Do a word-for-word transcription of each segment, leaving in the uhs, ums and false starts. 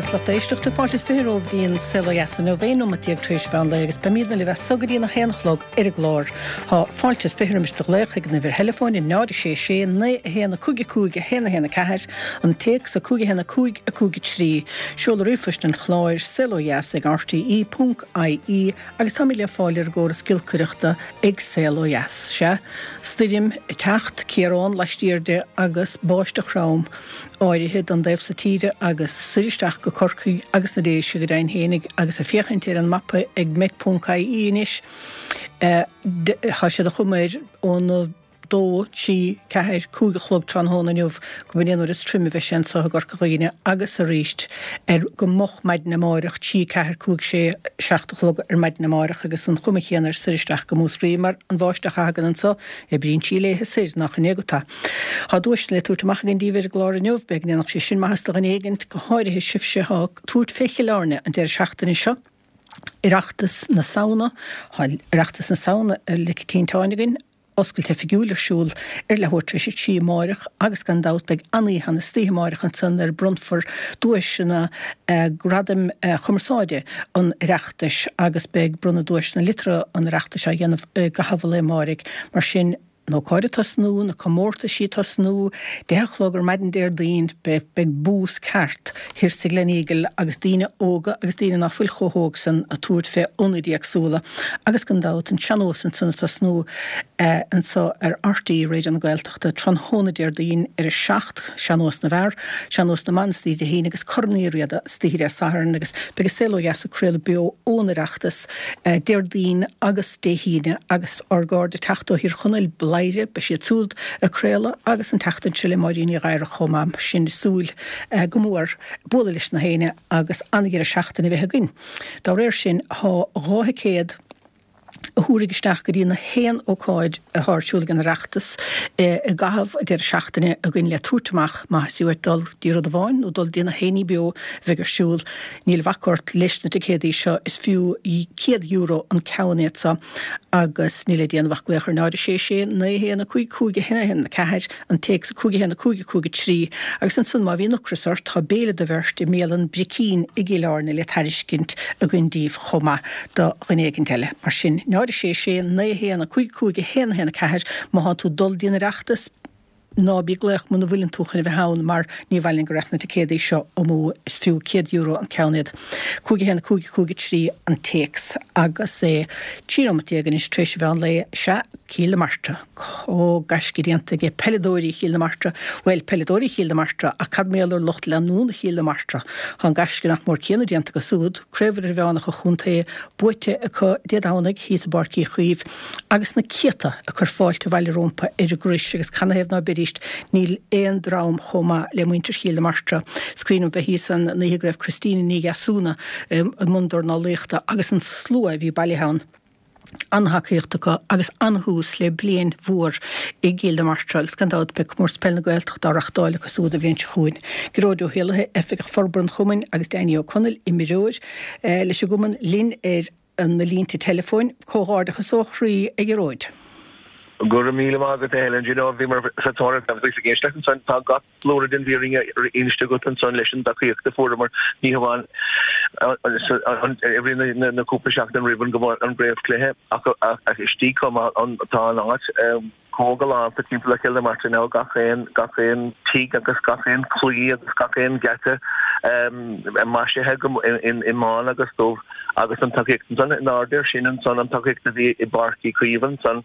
beatha is lucht éisteachta fáilte is fiche romhaibh dtí'n Saol Ó Dheas inniu, aon nóimeat déag tar éis mheán lae agus beimidne libh as so go dtí'n a haon a chlog ar an gclár. Tá fáilte is fiche roimis do ghlaoch ag an uimhir theileafóin a náid a sé sé naoi a haon a cúig a cúig a haon a haon a ceathair, an téacs a cúig a haon a cúig a cúig a trí, seoladh ríomhphoist an chláir, saol ó dheas ag rte ponc ie agus táimid le fáil ar an gcóras giolcaireachta ag Saol Ó Dheas. Sea, stoirm ag teacht, ciarán laistiar di agus báisteach throm áirithe don dtaobh so tíre agus soir isteach go Corcaigh agus na Déise go deimhin fhéinig agus ag féachaint ar an mapa ag Met ponc ie anois tá siad ag cur air óna dó, trí, ceathair, cúig a chlog tráthnóna inniu go mb'in é an uair is troime a bheidh sé anso i gCorca Dhuibhne agus arís ar go moch maidin amáireach, trí, ceathair, cúig, sé, seacht a chlog ar maidin amáireach agus an chuma chéanna ar soir isteach go Múscraí mar an bháisteach a thagann anso, oibríonn sí léithe soir, nach in é agat tá. Tá duaiseanna le tabhairt amach againn daoibh ar an gclár inniu, b'fhéidir go ndéanfadh sé sin maitheas do dhuine éigint, go háirithe sibhse atá ag tabhairt fé Chill Airne an deireadh seachtaine seo. Oireachtas na Samhna, Tá Oireachtas na Samhna ar le tinteáin againn, oscailt oifigiúil ar siúl ar leathuair tar éis a trí amáireach agus gan dabht beidh an-oíche ann istoíche amáireach ansan nuair a bronnfar duaiseanna Gradaim Chumarsáide an Oireachtais agus beidh bronnadh duaiseanna liteartha an Oireachtais á dhéanamh i gcaitheamh an lae amáirigh. Mar sin, an ócáid ag tosnú, na comórtaisí ag tosnú, deich a chlog ar maidin Déardaoin, beidh, beidh bús ceart thiar sa Gleneagle agus daoine óga agus daoine ná fuil chomh hóg san ag tabhairt fé ionaid éagsúla agus gan dabht an sean-nós ansan ag tosnú anso ar RTÉ Raidió na Gaeltachta tráthnóna Déardaoin ar a seacht, Sean-Nós na bhFear, Sean-Nós na mBan istoíche Dé hAoine agus Corn Uí Riada istoíche Dé Sathairn agus beidh an Saol Ó Dheas ag craoladh beo ón Oireachtas Déardaoin agus Dé hAoine agus ár gcairde ag teacht ó Thír Chonaill, Bladhaire, beidh siad siúd ag craoladh agus an tseachtain seo le Máirín Ní Ghadhra chomh maith, sinn ag súil go mór bualadh leis na héinne agus an-dheireadh seachtaine a bheith againn. Dá réir sin, tá dhá thicéad a thabharfaidh isteach go dtí na haon ócáid atá ar siúl ag an Oireachtas i gcaitheamh an deireadh seachtaine againn le tabhairt amach má theastaíonn uait dul dtí rud amháin nó dul dtí na haon ní beo a bheidh ar siúl. Níl a bhac ort leis na ticéadaí seo, is fiú céad euro an ceann iad seo agus níl le déanamh ach glaoch ar náid a sé sé naoi a haon a cúig cúig a haon a haon a ceathair, an téacs a cúig a haon a cúig a cúig a trí agus ansan má bhíonn ocras ort tá béile do bheirt i mbialann Bricín i gCill Airne le tairiscint againn daoibh chomh maith do dhuine éigint eile. Mar sin, náid a sé sé naoi a haon a cúig cúig a haon a haon a ceathair má thá tú ag dul dtí'n Oireachtas, ná bí ag glaoch muna bhfuileann tú chun a bheith ann mar ní mhaith linn go rachadh na ticéadaí seo amú, is fiú céad euro an ceann iad. cúig a haon a cúig a cúig a trí an téacs agus é trí nóimeat déag anois tar éis an mheán lae. Sea, Cill na Martra. Ó, gaisce déanta aige peileadóirí Chill na Martra, bhuel, peileadóirí Chill na Martra, ach cad mar gheall ar lucht leanúna Chill na Martra? Tá an gaisce nach mór céanna déanta acu siúd, Craobh Idirmheánach an Chontae buaite acu Dé Domhnaigh thíos i bPáirc Uí Chaoimh agus na céadta ag cur fáilte abhaile rómpa ar an gcrois agus canathaobh ná beidís, níl aon dream chomh maith le muintir Chill na Martra. Is cuimhin liom bheith thíos an oíche go raibh Christina Ní Dheasúna i mbun dornálaíochta agus an slua a bhí bailithe ann. An-tacaíocht acu agus an-thús le bliain mhór i gCill na Martra agus gan dabht beidh Comórtas Peile na Gaeltachta á reachtáil acu siúd an bhliain seo chugainn. Gearóid Ó hÉallaithe, Oifigeach Forbartha an Chumainn agus Danny Ó Conaill, imreoir leis an gcumann, linn ar na línte teileafóin. Comhghairdeachas ó chroí a Ghearóid. Go raibh míle maith agat a Helen. Do you know bhíomar sa tóir ar ag éisteacht ansan tá gach blúire den bhfírinne inste agat ansan leis an dtacaíocht a fuaireamar ní hamháin i rith na cúpla seachtain roimh an gcraobhchluiche ach istigh chomh maith tá an áit chomh galánta timpeall ar Chill na Martra now gach aon gach aon tigh agus gach aon chlaí agus gach aon geata maisithe i mbán agus dubh agus an tacaíocht ansan in airde air sin ansan an tacaíocht a bhí i bPáirc Uí Chaoimh ansan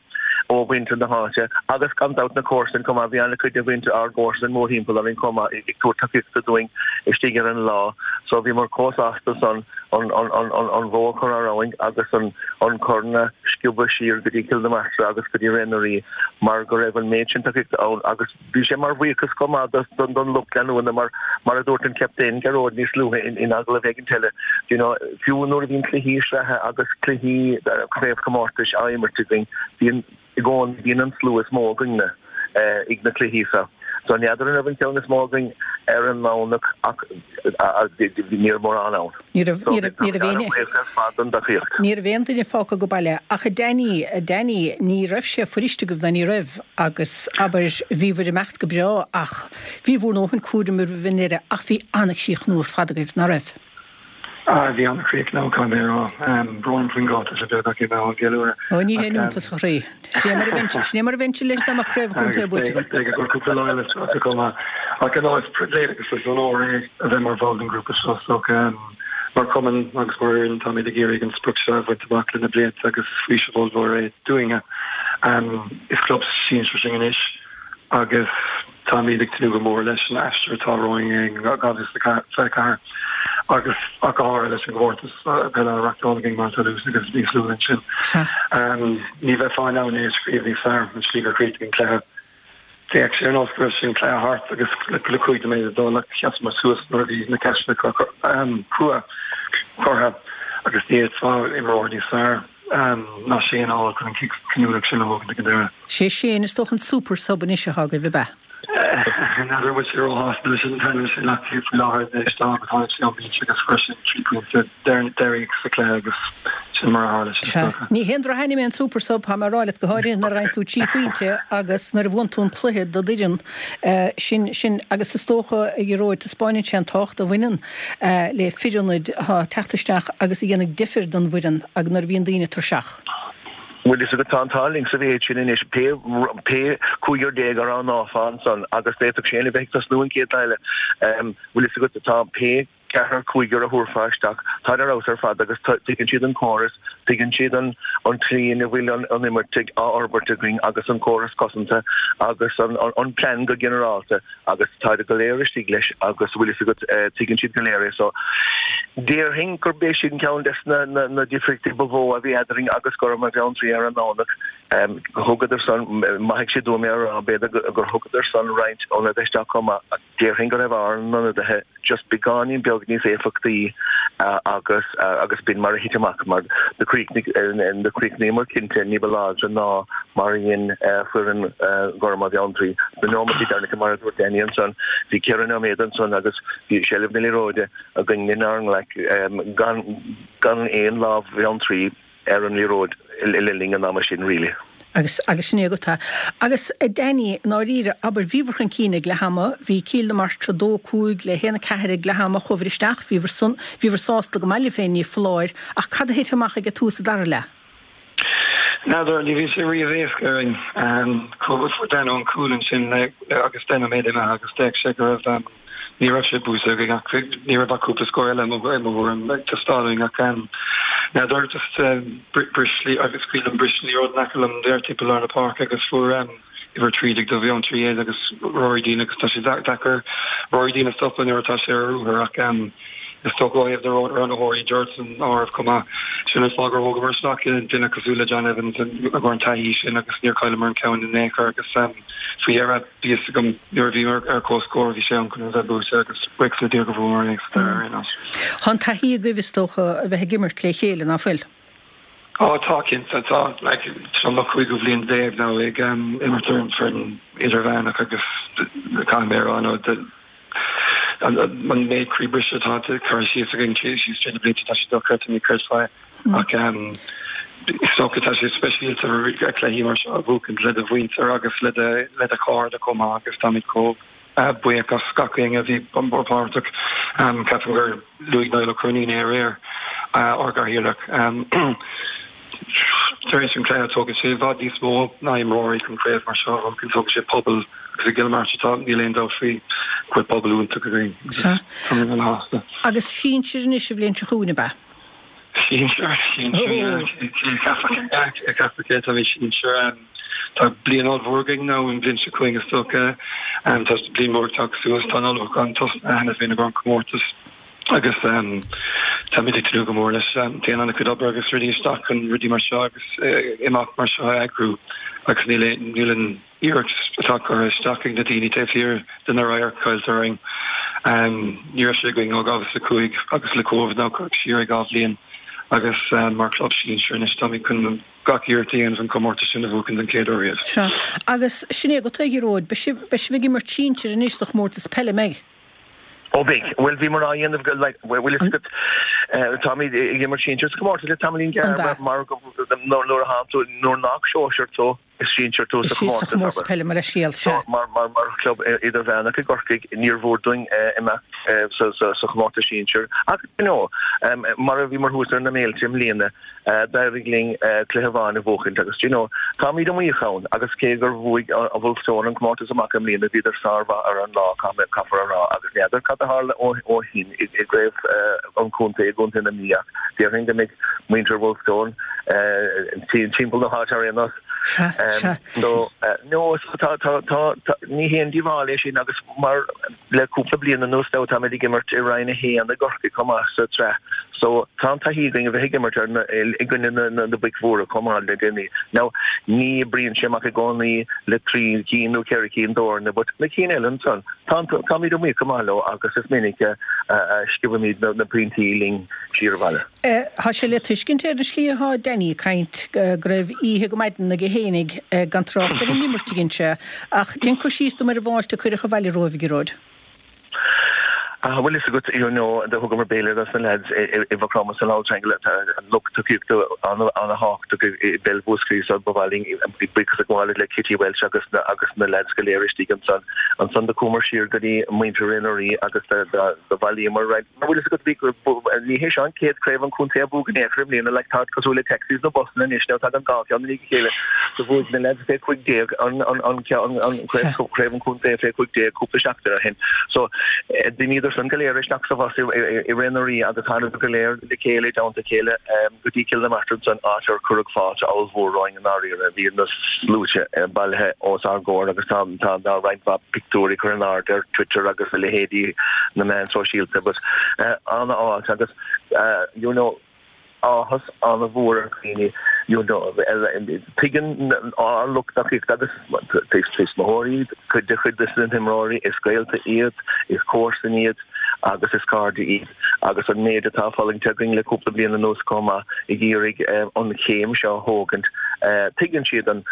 ó mhuintir na háite agus gan dabht na comharsain chomh maith. Bhí an-chuid de mhuintir ár gcomharsan mórthimpeall orainn chomh maith ag tabhairt tacaíochta dúinn istigh ar an lá so bhíomar chomh sásta san an an bhó a chur thar abhainn agus an an corn a sciobadh siar go dtí Cill na Martra agus go dtí Ré na Rí mar go raibh an méid sin tacaíochta ann agus Bhí sé mar bhuíochas chomh maith don lucht leanúna mar, mar a dúirt an captaen Gearóid níos luaithe in agallamh éigin eile, you know, fiú nuair a bhíonn cluichí sraithe agus cluichí craobhchomórtais á imirt againn, bíonn i gcónaí, bíonn an slua is mó againne ag na cluichí seo So n'fheadar an raibh an ceann is mó againn ar an nDomhnach ach ní raibh mórán ann. Ní raibh ní raibh ní raibh aon Ar fad don tacaíocht. Ní raibh aon duine fágtha go baile ach a Danny, a Danny, ní raibh sé fuirist agaibh ná ní raibh agus abair bhíobhair ag imeacht go breá ach bhí bhur ndóthain cúraim roimh an ndeireadh ach bhí an-chríochnú ar fad agaibh, ná raibh? Ah, bhí an-chríochnú caithfidh mé a rá. Brón faoin gcáta sa bheag ach é an gceiliúradh. Ó ní haon iontas a chroí. Sin é mar a bheinn sin é mar a bheinnse leis dá mbeadh craobh chontae buaite agam. Beidh gur cúpla lá eile sa chuma. Ach an is pribhléid agus is onóir é a bheith mar bhall den ghrúpa seo so mar chumann agus mar fhoireann táimid ag iarraidh an sprioc seo a bhaint amach le na blianta agus faoiseamh ollmhór é dúinne. Is club sinsir sinn anois agus táimid ag tnúth go mór leis an aistear atá romhainn in dhá mhíle is fiche a ceathair agus ach go háirithe leis an gcomórtas peile a reáchtáil againn mar Toulouse agus níos luaithe ansin. Ní bheifeá in ann é a scríobh níos fearr an slí gur chríochnaigh an cluiche. D'fhéach sé ar nós go raibh sé an cluiche thart agus le cúig nóiméad le dul ach sheasamar suas nuair a bhí na ceisteanna crua curtha agus ní fhéadfá imreoir níos fearr ná Shane a fháil chun an cic cinniúnach sin a thógaint ag an deireadh. Sé Shane is dócha an super sub anois atá agaibh ab ea? N'fheadar an bhfuil sé róshásta leis an t-ainm sin ach faoi láthair anois tá tháinig sé ón mbinse agus chuir sé trí pointe deiridh sa chluiche agus sin mar a tharla sé is dócha. Ní haon drochainm é an super sub, tá mé ag rá leat go háirithe nuair a fhaigheann tú trí phointe agus nuair a bhuann tú an cluiche do d'fhoireann sin sin agus is dócha a Ghearóid taispeánann sé an tábhacht a bhaineann le fir ionaid atá ag teacht isteach agus a dhéanamh difir don bhfoireann agus nuair a bhíonn daoine tuirseach. Bhuel is agat tá an t-ádh linn sa mhéid sin anois, pé pé cúigear déag a roghnófá ansan agus d'fhéadfadh Shane a bheith ag tosnú an chéad lá eile, bhfuil fhios agat, tá pé ceathrar cúigear a thabharfá isteach, táid ar fheabhas ar fad agus tuigeann siad an córas, tuigeann siad an an tslí ina bhfuil an an imirt á fhorbairt againn agus an córas cosanta agus an an plean go ginearálta agus táid go léir istigh leis agus bhfuil fhios agat, tuigeann siad go léir é so déarfainn gurb é sin ceann des na na difríochtaí ba mhó a bhí eadrainn agus Gorma Bheanntraí ar an nDomhnach. Thugadar san, maithfidh siad dom é a rá, b'fhéidir gur thugadar san roinnt ionadaithe isteach chomh maith ach déarfainn go raibh ár n-ionadaithe just beagáinín beag níos éifeachtaí agus agus b'in mar a thit amach mar do chríochnaigh do chríochnaíomar cinnte ní ba láidre ná mar a dhein foireann Ghorma Bheanntraí. Sna nóiméadaí deireanacha mar a dúirt Danny ansan, bhí ceithre nóiméad ansan agus bhí seilbh na liathróide againn inár nglaic gan gan aon lámh Bheanntraí ar an liathróid le linn an ama sin really. Agus agus sin é agat é. Agus a Danny, i ndáiríre, abair, bhíobhair chun cinn ag leath ama, bhí Cill na Martra dó cúig le haon a ceathair ag leath ama, chuabhair isteach, bhíobhair san, bhíobhair sásta go maith libh féin, ní foláir, ach cad a thit amach ag tús an dara leath? N'fheadar, ní bhíonn sé riamh éasca orainn. Fuair Danno an cúl ansin le agus deich nóiméad imithe agus d'fhéach sé go raibh, Ní raibh sé buaite againn ach ní raibh ach cúpla scór eile i mo thuairim ag teastáil uainn ach n'fheadar just bris agus scaoil bris an liathróid in aice liom there timpeall lár na páirce agus fuair uimhir trí déag do Bheanntraí é agus Rory Deane agus tá sé deacair Rory Deane a stopadh nuair atá sé ar ruathar ach is dócha ó thaobh na roghnaitheoirí Gerard san áireamh chomh maith. Sin an fáth gur thógamar isteach duine cosúil le John Evans i gcomhair an taithí sin agus níor chailleamar an ceann in aon chor agus faoi dheireadh bhí fhios agam nuair a bhíomar ar comhscór bhí sé am chun a bheith buaite agus buíochas le Dia go bhfuaireamar é sa deireadh ar aon nós. Tá an taithí agaibh is dócha a bheith ag imirt le chéile, ná fuil? Á tá cinnte, tá. Like seo mo chúigiú bhliain déag now ag imirt ar an foireann idirmheánach agus caithfidh mé a rá nó an méid croí briste atá curtha síos againn síos trí na blianta tá sé dochreidte ní chreidfeá é. Ach is dócha tá sé speisialta cluichí mar seo a bhuachaint le do mhuintir agus le do chairde chomh maith agus táimid chomh buíoch as gach éinne a bhí páirteach. Ceapaim gur luaigh Niall Ó Cróinín é aréir, ár gcathaoirleach. Tar éis an chluiche tógann sé i bhfad níos mó ná imreoirí chun craobh mar seo a bhuachan, tógann sé pobal agus i gCill na Martra tá, níl aon dabht faoi, go bhfuil pobal iontach againn agus táimid ana-shásta. Agus sinsir anois an bhliain seo chugainn, ab ea? Sinsir, sinsir, yeah. Cé a cheapfadh é, táimid sinsir. Tá bliain ollmhór againn now an bhliain seo chugainn is dócha. Tá bliain mhór ag teacht suas, tá an ullmhúchán tosnaithe cheana féin i gcomhair an comórtas agus táimid ag tnúth go mór leis. Téann an-chuid obair agus rudaí isteach chun rudaí mar seo agus imeacht mar seo a eagrú agus níl níl an iarracht atá curtha isteach ag na daoine taobh thiar de na radhairc caillte orainn. Ní raibh sé againn ó dhá mhíle is a cúig agus le Covid now cuireadh siar é dhá bhliain agus mar chlub sinsir anois táimid chun gach iarracht a dhéanamh an comórtas sin a bhuachan den chéad uair riamh. Sea. Agus sin é agat a Ghearóid, beidh sibh, beidh sibh ag imirt sinsir anois sa chomórtas peile, an mbeidh? Ó beidh. Bhuel bhíomar á dhéanamh go, like, bhfuil fhios agat, táimid ag imirt sinsir sa chomórtas le tamaillín gearr mar go, nuair a thánn tú, nuair nach sóisear tú, is sinsir tú sa chomórtas, abair. Is peile, mo leithscéal, sea. Mar, mar, mar chlub idirmheánach i gCorcaigh, níor mhór dúinn imeacht sa, sa, sa chomórtas sinsir. Ach, you know, mar a bhíomar thuas ar na Méilte i mbliana, d'éirigh linn cluiche amháin a bhuachaint agus, you know, táimid iomaíoch ann agus cé gur bhuaigh Wolfe Tone an comórtas amach i mbliana, bhíodar sármhaith ar an lá, caithfear a rá, agus n'fheadar cad a tharla ó shin i gcraobh an chontae i gContae na Mí ach déarfainn go mbeidh muintir Wolfe Tone timpeall na háite ar aon nós. Sea, sea. So, no, so tá, tá, tá, ní haon díobháil é sin agus mar le cúpla bliain anuas now táimid ag imirt i Roinn a haon i gCorcaigh chomh maith sa tsraith so tá an taithí againn a bheith ag imirt ar na, i gcoinne na, na, na boic mhóra chomh maith le déanaí. Now ní oibríonn sé amach i gcónaí le trí cinn nó ceithre cinn d'fhoirne but na cinn eile ansan tá, táimid iomaíoch go maith leo agus is minic a, a, a sciobaimid na, na pointí linn siar abhaile. Tá sé le tuiscint ar an slí atá Danny ag caint go raibh oíche go maidin aige fhéinig, gan trácht ar an imirt a dhein sé, ach déan cur síos dom ar an bhfáilte a cuireadh abhaile romhaibh, a Ghearóid. Ah, bhfuil fhios agat, you know, do thugamar béile dos na lads i Mhaigh Chromtha san Auld Triangle, tá an lucht tacaíochta an-thábhachtach i bpeil Mhúscraí so ba mhaith linn buíochas a ghabháil le Kitty Welch agus na agus na lads go léir istigh ansan. Ansan do chuamar siar go dtí muintir Ré na Rí agus do bhailíomar roinnt Mar bhfuil fhios agat bhí ní hé seo an chéad craobh an chontae a bhuadh in aon chor i mbliana like tá cosúil le taxis nó busanna anois now tagann dhá cheann i ndiaidh a chéile so bhuaigh na lads fé cúig déag an an an an an craobh craobh an chontae fé cúig déag cúpla seachtain ó shin so d'imíodar san go léir isteach sa bhus i i Ré na Rí agus thánadar go léir le chéile i dteannta a chéile go dtí Cill na Martra ansan áit ar cuireadh fáilte ollmhór romhainn i ndáiríre bhí na sluaite bailithe os ár gcomhair agus tá tá tá roinnt mhaith pictiúirí curtha in airde ar Twitter agus a leithéidí na meáin sóisialta but an-fháilte agus you know áthas an-mhór ar dhaoine you know tuigeann ár lucht tacaíochta agus tuismitheoirí cuid de chuid de na himreoirí is gaolta iad, is comharsain iad agus is cairde iad agus an méid atá fulaingte againn le cúpla bliain anuas chomh maith ag iarraidh an chéim seo a thógaint. Tuigeann siad an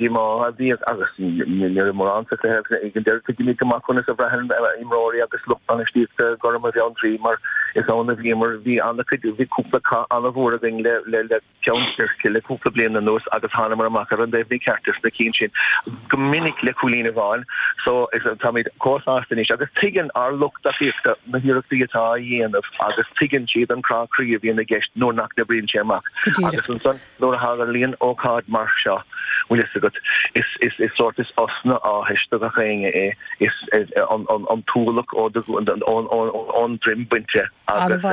díomá a bhíodh agus ní raibh mórán sa chluiche agus ag an deireadh tuigimid go maith conas a bhraitheann imreoirí agus lucht bainistíochta Gorm i Bheanntraí mar is ann a bhíomar. Bhí an-chuid, bhí cúpla cath an-mhór againn le le le Ceann Tuirce le cúpla bliain anuas agus thánamar amach ar an dtaobh mícheart de sna cinn sin go minic le cúilín amháin so is táimid chomh sásta anois agus tuigeann ár lucht tacaíochta na hiarrachtaí atá á dhéanamh agus tuigeann siad an crá croí a bhíonn i gceist nuair nach n-oibríonn sé amach agus ansan Nuair a tharlaíonn ócáid mar seo, bhfuil fhios agat, is, is, is sórt, is osna áthais do gach éinne é, is an, an, an t-ualach ó do, ón, ón, ón droim bainte agus,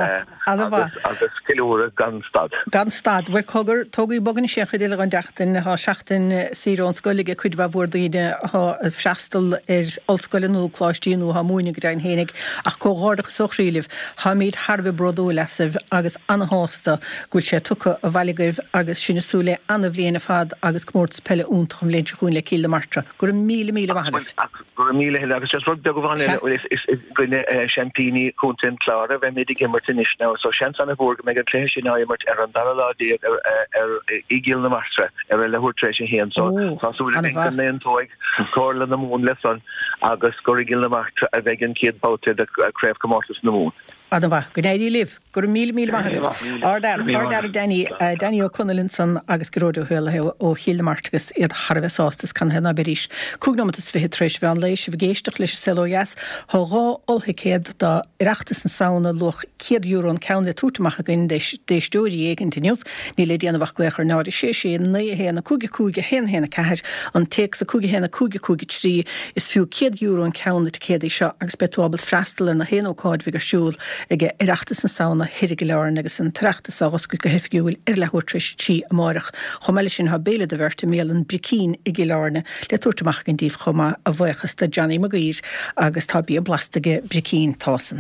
agus, agus ceiliúradh gan stad. Gan stad. Bhuel, cogar, tógaigí bog anois an chuid eile den tseachtain. Tá seachtain saoire ón scoil ag cuid mhaith mhór daoine atá ag freastal ar ollscoileanna nó coláistí nó atá ag múineadh go deimhin fhéinig. Ach comhghairdeachas ó chroí libh. Táimid thar a bheith bródúil asaibh agus ana-shásta go bhfuil sé tugtha abhaile agaibh agus sinn ag súil le ana-bhliain ar fad agus comórtas peile iontach an bhliain seo chugainn le Cill na Martra. Go raibh míle míle maith agaibh. Go raibh míle eile agus just rud beag amháin eile, is i gcoinne seaimpíní Chontae an Chláir a bheimid ag imirt anois now so seans ana-mhór go mbeidh an cluiche sin á imirt ar an dara lá déag ar i gCill na Martra ar a leathuair tar éis a haon so tá súil againn go n-aontóidh Comhairle na Mumhan leis san agus gur i gCill na Martra a bheidh an chéad babhta de Chraobhchomórtas na Mumhan. Ana-mhaith. Go n-éirí libh. Go raibh míle míle maith agaibh. Ard-fhear, ard-fhear Danny, Danny Ó Conaill ansan agus Gearóid Ó hÉallaithe ó Chill na Martra agus iad thar a bheith sásta is canathaobh ná beidís. Cúig nóimeat is fiche tar éis mheán lae, sibh ag éisteacht leis an Saol Ó Dheas. Tá dhá ollthicéad do Oireachtas na Samhna, luach céad euro an ceann le tabhairt amach againn d'éisteoirí éigint inniu. Níl le déanamh ach glaoch ar náid a sé sé naoi a haon a cúig a cúig a haon a haon a ceathair, an téacs a cúig a haon a cúig a cúig a trí. Is fiú céad euro an ceann na ticéadaí seo agus beidh tú ábalta freastal ar na haon ócáid a bheidh ar siúl ag Oireachtas na Samhna thoir i gCill Airne agus an tOireachtas á oscailt go hoifigiúil ar leathuair tar éis a trí amáireach. Chomh maith leis sin tá béile do bheirt i mbialann Bricín i gCill Airne le tabhairt amach againn daoibh chomh maith, a bhuíochas do Johnny Mag Uidhir agus tá bia blasta aige Bricín, tá's.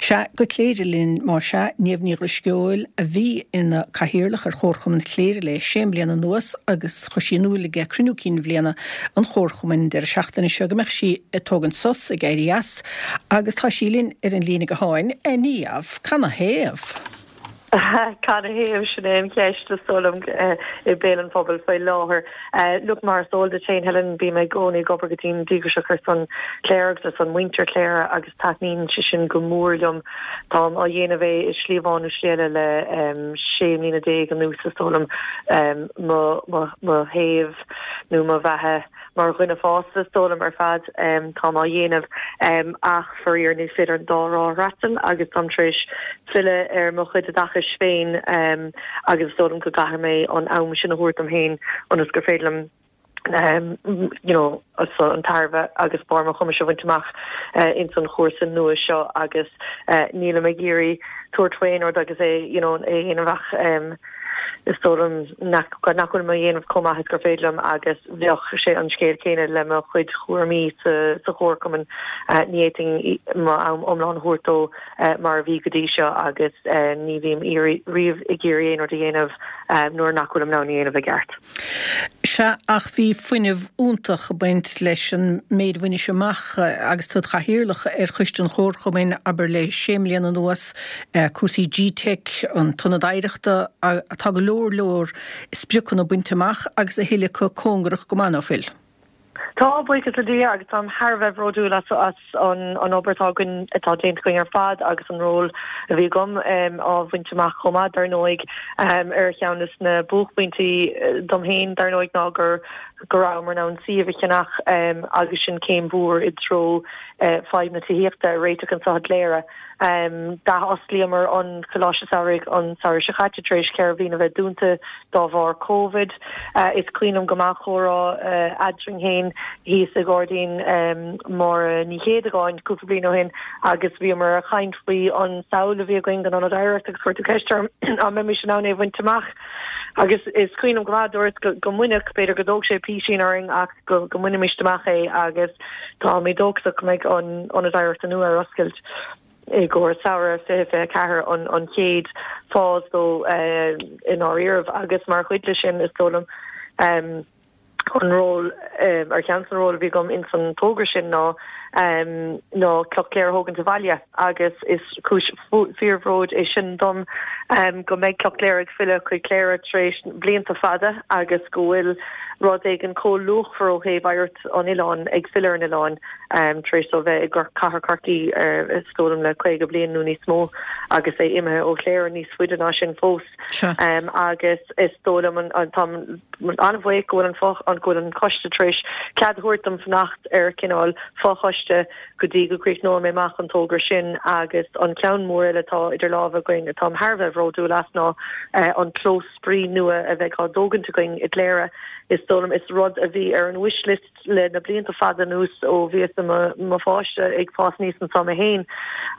Sea, go Cléire linn más ea, Niamh Ní Dhrisceoil a bhí ina cathaoirleach ar Chomharchumann Chléire le sé mbliana anuas agus chuir sí in iúl ag cruinniú cinn bhliana an Chomharchumainn an deireadh seachtaine seo go mbeadh sí ag tógaint sos, ag éirí as, agus tá sí linn ar an líne gutháin. A Niamh, canathaobh? Canathaobh sin é an cheist is dóigh liom i mbéal an phobail faoi láthair. Look mar is eol duit féin Helen bím i gcónaí ag obair go dian díograiseach ar son Chléire agus ar son muintir Chléire agus taitníonn sé sin go mór liom. Táim á dhéanamh é i slí amháin nó slí eile le sé mbliana déag anuas is dóigh liom mo mo thaobh nó mo bheatha mar dhuine fásta is dóigh liom ar fad táim á dhéanamh ach faraor ní féidir an dá thrá a fhreastal agus táim tar éis filleadh ar mo chuid oideachais féin agus is dóigh liom go gcaithfidh mé an am sin a thabhairt dom féin ionas gur féidir liom you know an tairbhe agus barr mo chumais a bhaint amach ins an chúrsa nua seo agus nílim ag iarraidh tabhairt faoi aon rud agus é you know é a dhéanamh ach is dóigh liom nach nach bhfuil mé á dhéanamh chomh maith is gur féidir liom agus bheadh sé an scéal céanna le mo chuid chúraimí sa sa chomharchumann ní fhéadfainn mo am iomlán a thabhairt dó mar a bhí go dtí seo agus ní bhím riamh ag iarraidh aon rud a dhéanamh nuair nach bhfuilim in ann a dhéanamh i gceart. Sea, ach bhí fuinneamh iontach ag baint leis an méid a bhainis amach agus tú id chathaoirleach ar choiste an Chomharchumainn, abair le sé mbliana anuas, cúrsaí G-Teic, an tIonad Oidhreachta, tá go leor leor spriocanna bainte amach agus a thuilleadh acu cóngarach go maith, ná fuil? Tá, buíochas le Dia, agus táim thar a bheith bródúil as as an an obair atá againn, atá déanta againn ar fad agus an ról a bhí agam á bhaint amach chomh maith, dar ndóigh. Ar cheann de na buaicphointí dom féin, dar ndóigh, ná gur go rabhamar in ann suíomh a cheannach agus sin céim mhór i dtreo fadhb na tithíochta a réiteach anseo i gCléire. D'athosclaíomar an Coláiste Samhraidh an samhradh seo caite tar éis ceithre bhliain a bheith dúnta dá bharr Covid. Is cuimhin liom go maith comhrá eadrainn féin thíos i ngairdín Máire Ní Chéadagáin cúpla bliain ó shin agus bhíomar ag caint faoi an samhail a bhí againn don Ionad Oidhreachta agus chuir tú ceist orm an mbeimis in ann é a bhaint amach agus is cuimhin liom go maith dúirt go mbainfeadh, b'fhéidir go dtógfadh sé písín orainn ach go mbainfimis amach é agus táimid dóchasach go mbeidh an Ionad Oidhreachta nua ar oscailt i gcomhair samhradh fiche fiche a ceathair an an chéad phase dó i ndáiríribh agus mar chuid de sin is dóigh liom an ról ar cheann de na róil a bhí agam ins an togra sin ná ná Cloch Chléire a thógaint abhaile agus is cúis fíorbhróid é sin dom go mbeidh Cloch Chléire ag filleadh chuig Cléire tar éis blianta fada agus go bhfuil rud éigin chomh luachmhar ó thaobh oidhreacht an oileáin ag filleadh ar an oileán tar éis dó bheith i gcathair Chorcaí is dóigh liom le caoga bliain nó níos mó agus é imithe ó Chléire níos faide ná sin fós agus is dóigh liom an táim an-bhuíoch go bhfuil an an go bhfuil an coiste tar éis cead a thabhairt dom fanacht ar cineál fochoiste go dtí go gcríochnóidh mé amach an togra sin agus an ceann mór eile atá idir lámha againn atáim thar a bheith bhródúil as ná an clós spraoi nua a bheidh á dtógaint againn i gCléire. Is dóigh liom is rud a bhí ar an wish list le na blianta fada anuas ó bhíos i mo pháiste ag fás aníos anseo mé féin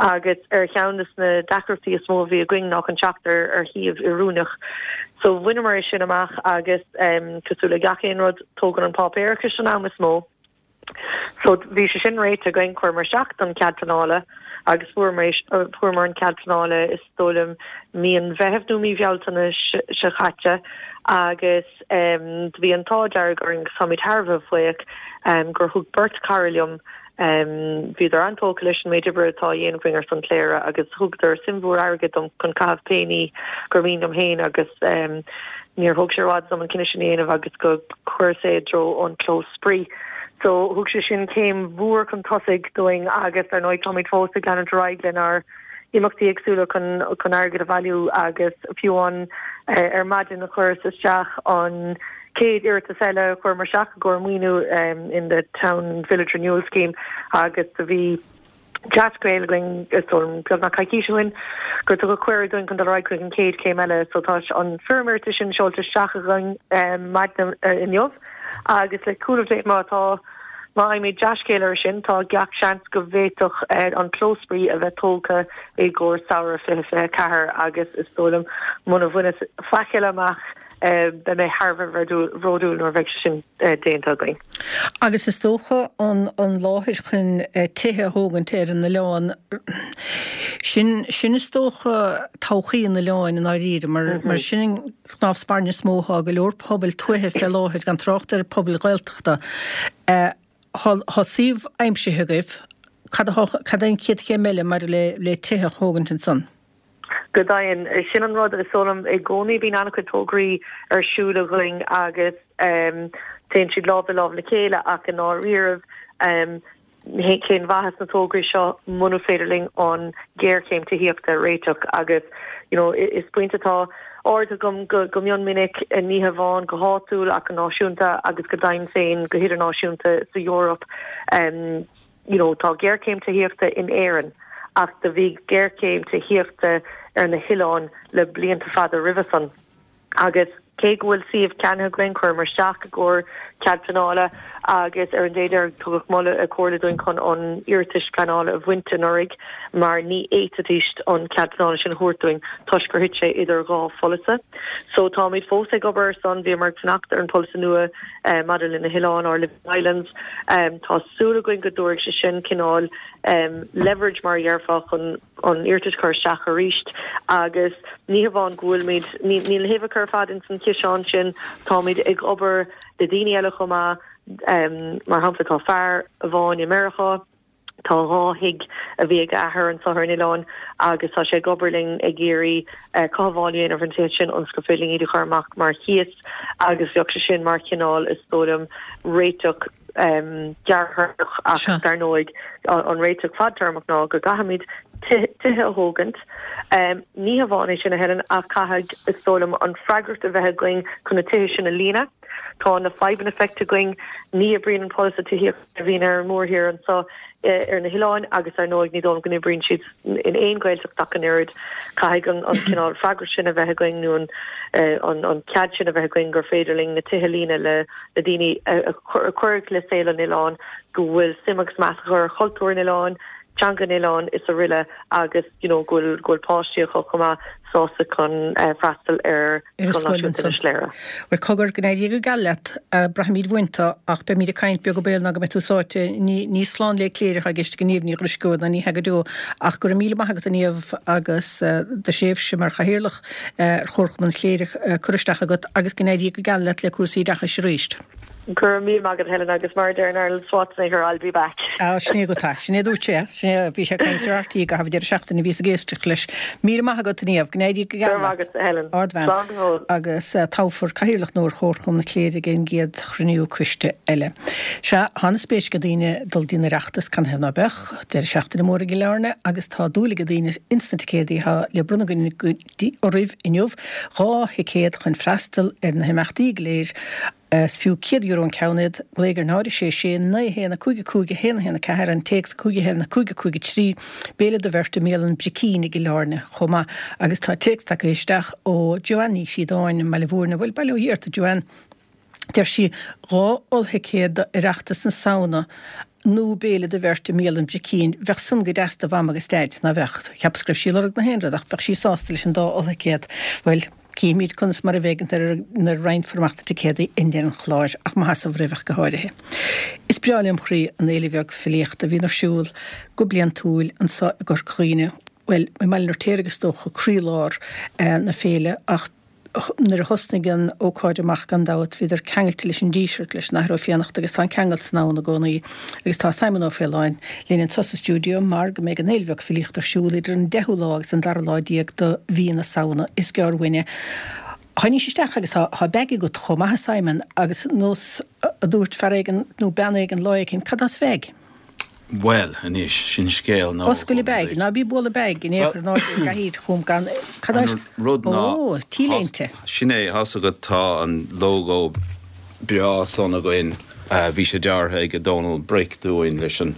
agus ar cheann de na deacrachtaí is mó a bhí againn ná chun teacht ar ar shuíomh oiriúnach. So bhaineamar é sin amach agus cosúil le gach aon rud tógann an páipéarachas an am is mó. So bhí sé sin réitithe againn, chuireamar isteach don cead pleanála agus fuaireamar fuaireamar an cead pleanála is dóigh liom mí an Mheithimh nó mí Bhealtaine seo caite agus do bhí an t-ádh dearg orainn agus táimid thar a bheith buíoch gur thug beirt cara liom Bhíodar an-tógtha leis an méid oibre atá á dhéanamh againn ar son Chléire agus thugadar suim mhór airgid dom chun caitheamh pé ní gur mian liom féin agus níor thóg sé i bhfad dom an cinneadh sin a dhéanamh agus go chuireas é i dtreo an clós spraoi. So thug sé sin céim mhór chun tosaigh dúinn agus ar ndóigh táimid fós ag leanúint ar aghaidh lenár n-imeachtaí éagsúla chun chun airgead a bhailiú agus fiú amháin ar maidin chuireas isteach an chéad iarratas eile a chuireamar isteach i gcomhair maoiniú in the Town Village Renewal Scheme agus do bhí dea-scéal againn is dóigh liom beagnach coicís ó shin gur tugadh cuireadh dúinn chun dul ar aghaidh chuig an chéad chéim eile so tá an foirm iarratais sin seolta isteach againn maidin inniu agus le cúnamh Dé má tá má fhaighimid dea-scéal air sin tá gach seans go bhféadfadh an clós spraoi a bheith tógtha i gcomhair samhradh fiche fiche a ceathair agus is dóigh liom muna bhaineas faic eile amach beidh mé thar a bheith bhródúil nuair a bheidh sé sin déanta againn. Agus is dócha an an láthair chun tithe a thógaint ar an oileán, sin sin is dócha todhchaí an oileáin i ndáiríre mar mar sin an cnámh spairne is mó atá ag go leor pobail tuaithe fé láthair, gan trácht ar pobail Ghaeltachta. Tá suíomh aimsithe agaibh, cad atá cad é an chéad chéim eile maidir le le tithe a thógaint ansan? Go deimhin, sin an rud is dóigh liom i gcónaí bíonn an-chuid tograí ar siúl againn agus téann siad lámh i lámh le chéile ach i ndáiríribh cén mhaitheas na tograí seo muna féidir linn an ghéarchéim tithíochta a réiteach agus you know is pointe atá ardaithe agam go go mion minic ní hamháin go háitiúil ach go náisiúnta agus go deimhin féin go hidirnáisiúnta sa Eoraip um, you know, tá géarchéim tithíochta in Éirinn ach do bhí géarchéim tithíochta ar na hoileáin le blianta fada roimhe san. Agus cé go bhfuil suíomh ceannaithe againn chuireamar isteach i gcomhair cead pleanála agus ar an dé deiridh tugadh moladh comhairle dúinn chun an iarratas pleanála a bhaint anuraidh mar ní fhéadfaidís an cead pleanála sin a thabhairt dúinn toisc gur thit sé idir dhá pholasaí. So táimid fós ag obair ar son bhíomar ag fanacht ar an polasaí nua eh, maidir le na hoileáin our Living Islands. Um, tá súil againn go dtabharfaidh sé sin cineál um, leverage mar a déarfá chun an iarratas a chur isteach arís agus ní hamháin go bhfuilimid níl na huibheacha ar fad in san ciseán sin táimid ag obair le daoine eile chomh maith um, mar shampla tá fear amháin i Meiriceá tá dhá thigh a bhí ag a athair anseo ar an oileán agus tá sé ag obair linn ag iarraidh uh, cothabháil a dhéanamh ar an tithe sin ionas gur féidir linn iad a chur amach mar chíos agus bheadh sé sin mar chineál is dóigh liom réiteach um, gearrthéarmach ach Sure. dar ndóigh an réiteach fadtéarmach ná go gcaithfimid tithe a thógaint. Um, ní hamháin é sin a Helen ach caithfidh is dóigh liom an freagracht a bheith againn chun na tithe sin a líonadh. Tá na fadhbanna feicthe againn ní oibríonn an polasaí tithíochta a bhíonn ar an mórthír anseo eh, ar na hoileáin agus ar ndóigh ní dóigh go n-oibríonn siad in aon Ghaeltacht ach an oiread caithfidh an, an cineál freagracht sin a bheith againn nó an, eh, an, an cead sin a bheith againn gur féidir linn na tithe a líonadh le le daoine a, a chur- a chuirfidh le saol an oileáin go bhfuil suim agus meas acu ar chultúr an oileáin, teanga an oileáin is araile agus you know, go bhfuil go bhfuil páistí acu chomh maith sásta chun uh, freastal ar Ar Scoil scoil Náisiúnta ansan. Inis Léire. Well cogar go n-éirí go geal leat braithimid uainn tú ach beimid ag caint beag béal ná go mbeidh tú sáite ní ní slán le cléireach ag éisteacht go Niamh Ní Dhrisceoil ná ní hea go deo ach go raibh míle maith agat a Niamh agus eh, do thréimhse mar chathaoirleach eh, ar Chomharchumann Chléire eh, curtha isteach agat agus go n-éirí go geal leat le cúrsaí oideachais arís. Go raibh míle maith agat Helen agus mar a deir Arnold Schwarzenegger I'll be back. Á sin é go tá sin é dúirt sé sin é bhí sé caint ar RTÉ go deireadh seachtaine bhí ag éisteacht leis. Míle maith agat a Niamh go n-éirí go Go geal raibh leat. agat Helen. Ardbhean Slán go fóill. agus uh, toghfar cathaoirleach nua ar Chomharchumann na Cléire ag an gcéad chruinniú coiste eile. Sea tá an-spéis ag daoine dul dtí'n Oireachtas canathaobh ná beadh, deireadh seachtaine mór i gCill Airne agus tá dúil ag daoine ins na ticéadaí atá le bronnadh againn go dtí oraibh inniu dhá thicéad chun freastal ar na himeachtaí go léir Is fiú céad euro an ceann iad, glaoigh ar náid sé sé naoi haon a cúig a cúig a haon a haon a ceathair an téacs cúig a haon a cúig a cúig a trí béile do bheirt i mbialann Bricín i gCill Airne chomh maith agus tá téacs tagtha isteach ó Joanne Ní Shíodáin Baile Mhúirne bhfuil bail ó Dhia ort Joanne. Deir sí dhá ollthicéad d'Oireachtas na Samhna nó béile do bheirt i mbialann Bricín, bheadh san go deas do mham agus daid ná bheadh cheapas go raibh sí ag lorg na haon rud ach bheadh sí sásta leis an dá ollthicéad. Well, címid conas mar a bheidh nuair a roinnfear amach na ticéadaí i ndeireadh an chláir ach maith as roimh go háirithe. Is breá lem chroí an fhéile bheag filíochta a bhíonn ar siúl go bliantúil anseo i gCorca Dhuibhne. Well, i mBaile an Fheirtéaraigh is dócha croílár eh, na féile ach nuair a thosnaigh an ócáid amach gan dabht bhíodar ceangailte leis an Díseart leis an Athair Ó Fiannachta agus tá an ceangal san ann i gcónaí agus tá Simon Ó Faoláin linn anseo sa stiúideo mar go mbeidh an fhéile bheag filíochta ar siúl idir an deichiú lá agus an dara lá déag de mhí na Samhna is gearr uainne. Tháinig isteach agus tá bag agat chomh maith Simon agus nós a dúirt fear éigin nó bean éigin lá éigin cad as bag. Well, anois sin scéal ná Oscail an bag, ná bí bualadh bag in éair ná gahíd chum gan cad as rud ná Ó, T-léinte. Sin é has agat tá an logo breá san againn bhí sé deartha ag Donald Brick dúinn leis an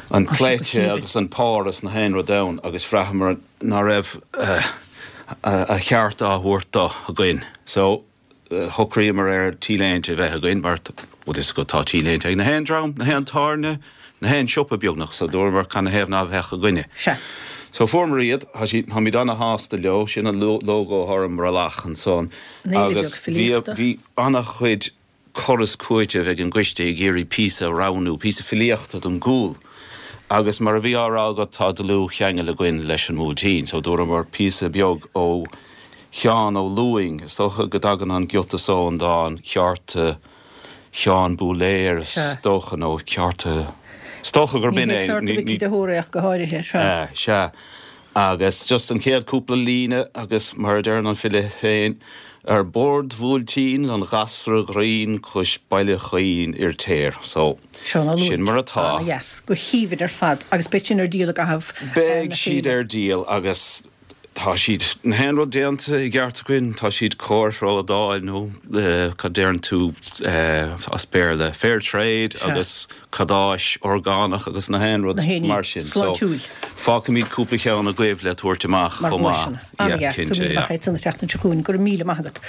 an cleite agus an Páras na haon rud ann agus bhraitheamar ná raibh a cheart á thabhairt dó againn. So shocraíomar ar T-léinte a bheith againn mar bhuel is go tá T-léinte ag na haon dream, na haon tábhairne, na haon siopa beagnach so dúramar canathaobh ná bheadh againne. Se. So fuaireamar iad táimid ana-shásta leo sin an logo ar an mbralach ansan agus bhí bhí an-chuid cur is cúiteamh ag an gcoiste ag iarraidh píosa a roghnú, píosa filíochta don gcúl. Agus mar a bhí á rá agat tá dlúthcheangal againn leis an mBuailtín, so dúramar píosa beag ó Sheán Ó Lúing, is dócha go dtagann an giota so an dán ceárta Sheán Búléir is dócha nó ceárta Is dócha gur b'in é de hóréach go háirithe se. Agus just an chéad cúpla líne agus mar a deireann an file féin, Ar bord bhuailtín an ghasra ghrinn cois Baile Chaoin Fhirtéar. So, Seán Ó Lúing. sin mar atá. Ana-dheas. Go haoibhinn ar fad. Agus beidh sin ar díol i gcaitheamh na Beidh siad féile. ar díol agus tá siad, na haon rud déanta i gceart againn, tá siad cóir-thrádáil nó cad deireann tú as Béarla, fair trade Sea. agus cadáis orgánach agus na haon rud Na haon ní mar sin. So, sláintiúil. fágfaimid cúpla ceann agaibh le tabhairt amach Mar chomh maith. dhuaiseanna. Yeah, Ana-dheas. cinnte, Tabhair míle yeah. maith agat an tseachtain seo chugainn. Go raibh míle maith agat.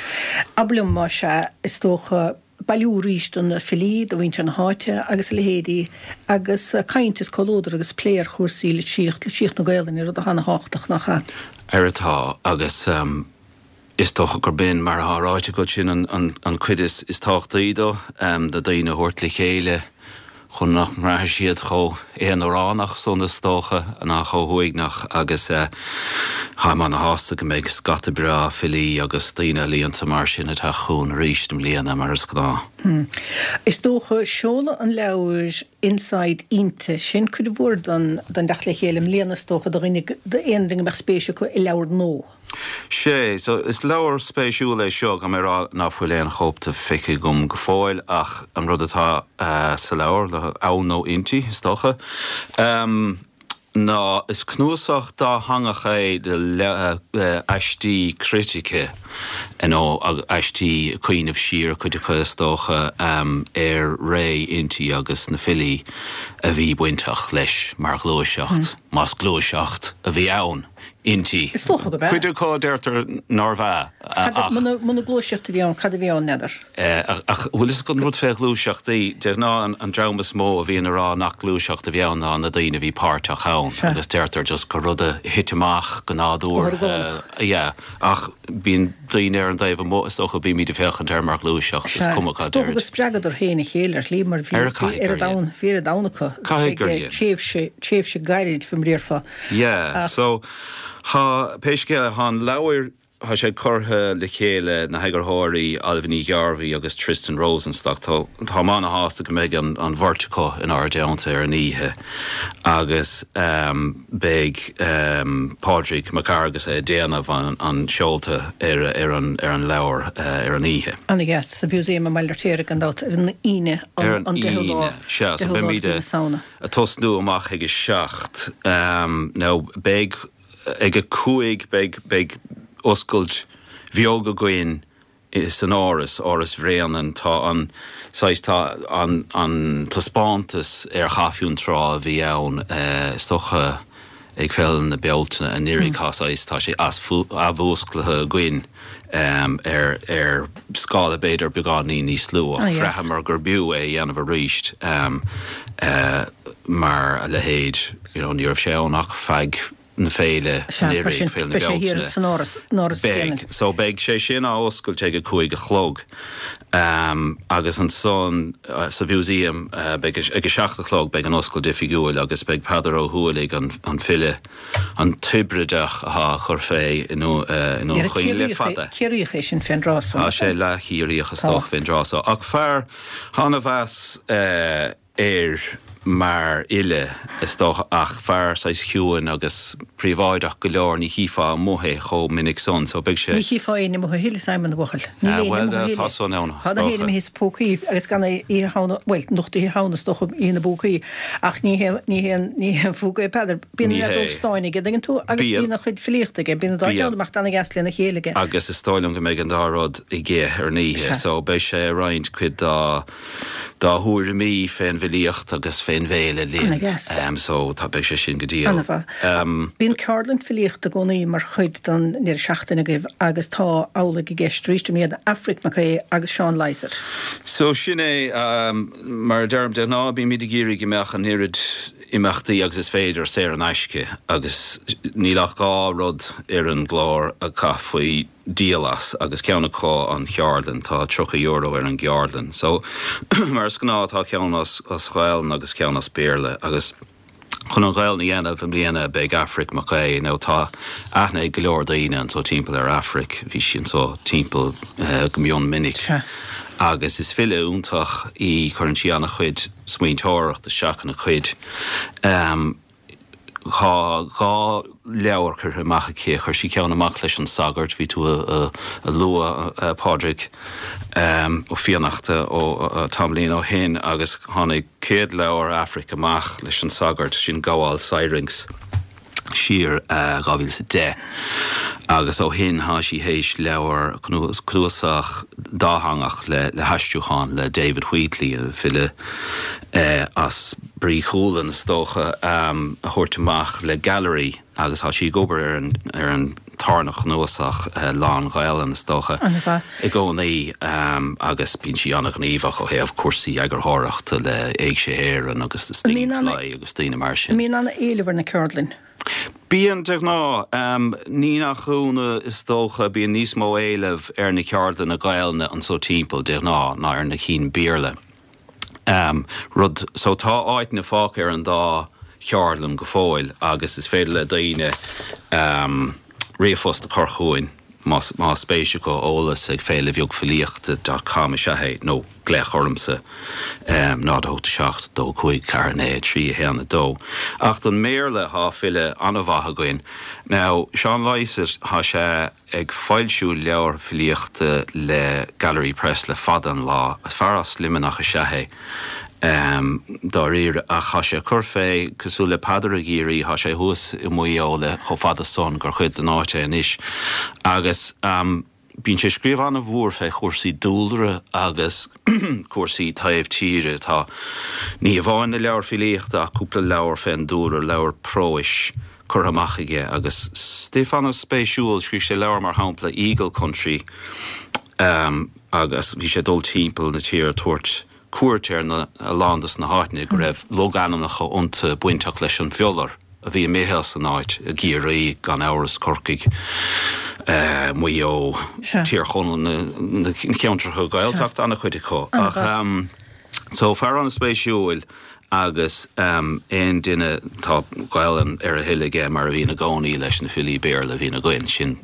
Abair liom más ea, is dócha, bailiú arís do na filí, do mhuintir na háite agus a leithéidí, agus caint is comhluadar agus plé ar chúrsaí litríocht, litríocht na Gaelainne, rud atá ana-thábhachtach, nach ea? Ar atá, agus is dócha gur b'in, mar atá ráite agat, sin an chuid is tábhachtaí dó, na daoine a thabhairt le chéile. chun nach mbraithfidh siad chomh haonaránach san is dócha ná chomh huaigneach agus táim ana-shásta go mbeidh scata breá filí agus daoine ealaíonta mar sin ag teacht chugainn arís i mbliana mar is gnáth. Is dócha seoladh an leabhair Inside Innti, sin cuid mhór den dteacht le chéile i mbliana is dócha do dhuine, d'aon duine go mbeadh spéis acu i leabhar nua. Sé, so is leabhar spéisiúil é seo, caithfidh mé a rá ná fuil aon chóip de feicthe agam go fóill ach an rud atá sa leabhar, ann nó inti, is dócha, ná is cnuasach dátheangach é de aistí critice, nó aistí cuimhneamh siar, cuid acu is dócha, ar ré Innti agus na filí a bhí bainteach leis mar ghluaiseacht, más gluaiseacht a bhí ann. Innti. Is dócha gurb ea. Cuid acu a deirtear nárbh ea, ach. Muna gluaiseacht a bhí ann, cad a bhí ann, n'fheadar? Ach bhfuil fhios agat an rud fé ghluaiseachtaí, de ghnáth an dream is mó a bhíonn a rá nach gluaiseacht a bhí ann ná na daoine a bhí páirteach ann agus deirtear just gur rud a thit amach go nádúrtha. Go horgánach. Yeah, ach bíonn daoine ar an dtaobh amuigh, is dócha, bímid ag féachaint air mar ghluaiseacht, is cuma cad Is dócha gur spreagadar féin a chéile ar shlí mar bhí oiread ann, bhí oiread ann acu Caithfidh gur ag tréimhse, tréimhse gairid fá mar a déarfá. Yeah, so thá, pé scéal é, thá an leabhar, thá sé curtha le chéile na heagarthóirí Ailbhe Ní Ghearbhuigh agus Tristan Rosenstock. Tá, táim ana-shásta go mbeidh an, an bheirt acu inár dteannta ar an oíche agus ehm beidh ehm Pádraig Mac Fhearghusa ag déanamh an, an seolta ar, ar an, ar an leabhar eh, ar an oíche. Ana-dheas, sa Mhúsaem i mBaile Fheirtéaraigh gan dabht, ar an Aoine, Ar an, an an deichiú lá, Aoine, sea, so deichiú lá de beimid mhí a, na Samhna. ag tosnú amach ag a seacht. Now beidh ag a cúig beidh beidh oscailt bheag againn san Áras, Áras Bhréanainn. Tá an saghas tá an an taispeántas ar Chaife na Trá a bhí ann is dócha ag Féile na Bealtaine anuraidh tá saghas tá sé athmhúsclaithe againn ar ar scála b'fhéidir beagáinín níos lú ach bhraitheamar gur b'fhiú é a dhéanamh arís mar a leithéid you know ní raibh sé ann ach feadh na féile anuraidh, Féile na Bealtaine. San Áras, in Áras Beidh, so beidh sé sin á oscailt ag a cúig a chlog agus ansan sa Mhúsaem beidh ag a seacht a chlog beidh an oscailt oifigiúil agus beidh Peadar Ó hUallaigh an an file an Tiobraideach atá ag cur fé i nDún Chaoin le fada. Ciarraíoch é sin fén dtráth so. Tá sé leath-Chiarraíoch is dócha fén dtráth so ach fear ana-mheas air mar fhile, is dócha, ach fear saghas ciúin agus príobháideach go leor, ní chífeá amuigh é chomh minic san, so beidh sé. Ní chífeá éinne amuigh a thuilleadh, Simon, a bhuachaill. Níl éinne Bhuel, amuigh a tá thuilleadh. san ann, is Tá na héinne dócha. imithe sa phócaí agus gan Oíche Shamhna, bhuel, anocht Oíche Shamhna, is dócha, Oíche na bPócaí, ach ní hé, ní hé, ní hé an phúca é Peadar. Bíonn Ní an fheadóg hé. stáin aige, dtuigeann tú, agus Bíonn. bíonn a chuid filíochta aige, bíonn an dá Bíonn. cheann amach ana-dheas lena chéile aige. Agus is dóigh liom go mbeidh an dá rud aige ar an oíche, Sea. so beidh sé ag roinnt cuid dá, dá thuairimí fén bhfilíocht agus fén bhféile linn. Ana-dheas. So tá, beidh sé sin go diail. Ana-mhaith. Bíonn ceardlann filíochta i gcónaí mar chuid den deireadh seachtaine agaibh agus tá amhlaidh i gceist arís i mbliana, Aifric Mac Aodha agus Seán Lysaght. So sin é, mar a deirim, de ghnáth bímid ag iarraidh go mbeadh an oiread imeachtaí agus is féidir saor in aisce agus níl ach dhá rud ar an gclár a chaithfí díol as agus ceann acu an cheardlann, tá tríocha euro ar an gceardlann. So mar is gnáth tá ceann as as Gaelainn agus ceann as Béarla agus chun an Ghaelainn a dhéanamh i mbliana beidh Aifric Mac Aodha, now tá aithne ag go leor daoine anso timpeall ar Aifric, bhí sí anso timpeall go mion minic agus is file iontach í, cuireann sí an-chuid smaointeoireacht isteach ina cuid. Tá dhá leabhar curtha amach aici, chuir sí ceann amach leis an Sagart, bhí tú a lua Pádraig Ó Fiannachta ó tamaillín ó shin agus tháinig céad leabhar Aifric amach leis an Sagart, sin Gabháil Syrinx. siar dhá mhíle is a deich agus ó shin tá sí théis leabhar cnuasach dátheangach le le haistriúchán le David Wheatley, file as Brí Chualann is dócha, a thabhairt amach le Gallery agus tá sí ag obair ar an ar an tarna chnuasach lán-Ghaelainn is dócha i gcónaí agus bíonn sí an-ghníomhach ó thaobh cúrsaí eagarthóireachta le Éigse Éireann agus The Stinging Fly agus daoine mar sin. An mbíonn an-éileamh ar na ceardlainn? Bíonn, de ghnáth. Ní nach ionadh is dócha, bíonn níos mó éileamh ar na ceardlanna Gaelainne anso timpeall, de ghnáth, ná ar na cinn Béarla. Rud so tá áiteanna fágtha ar an dá cheardlann go fóill agus is féidir le daoine ríomhphost a chur chugainn más spéis acu, eolas ag féile bheag filíochta dot com is ea é, nó glaoch ormsa, náid a hocht a seacht, dó cúig, ceathair naoi, trí a haon a dó. Ach don mBéarla thá file an-mhaith againn. Now, Seán Lysaght, thá sé ag foilsiú leabhar filíochta le Gallery Press le fada an lá. Fear as Luimneach is ea é, dáiríre, ach thá sé ag cur fé, cosúil le Peadar i gCiarraí, thá sé thuas i Maigh Eo le chomh fada san gur chuid den áit é anois. Agus bíonn sé ag scríobh an-mhór fé chúrsaí dúlra agus cúrsaí taobh tíre. Tá ní amháin na leabhair filíochta ach cúpla leabhar fén dúlra, leabhar próis curtha amach aige agus stuif an-spéisiúil. Scríobh sé leabhar mar shampla, Eagle Country, agus bhí sé ag dul timpeall na tíre ag tabhairt cuairt ar a lán dos na háiteanna go raibh logainmneacha iontu bainteach leis an bhiolar a bhí imithe as an áit, i gCiarraí, gan amhras, Corcaigh, Maigh Eo, Tír Chonaill, na ceantracha Gaeltachta, an-chuid acu. Ach so, fear an-spéisiúil agus aon duine, tá Gaelainn ar a thoil aige mar a bhíonn i gcónaí leis na filí Béarla a bhíonn againn, sin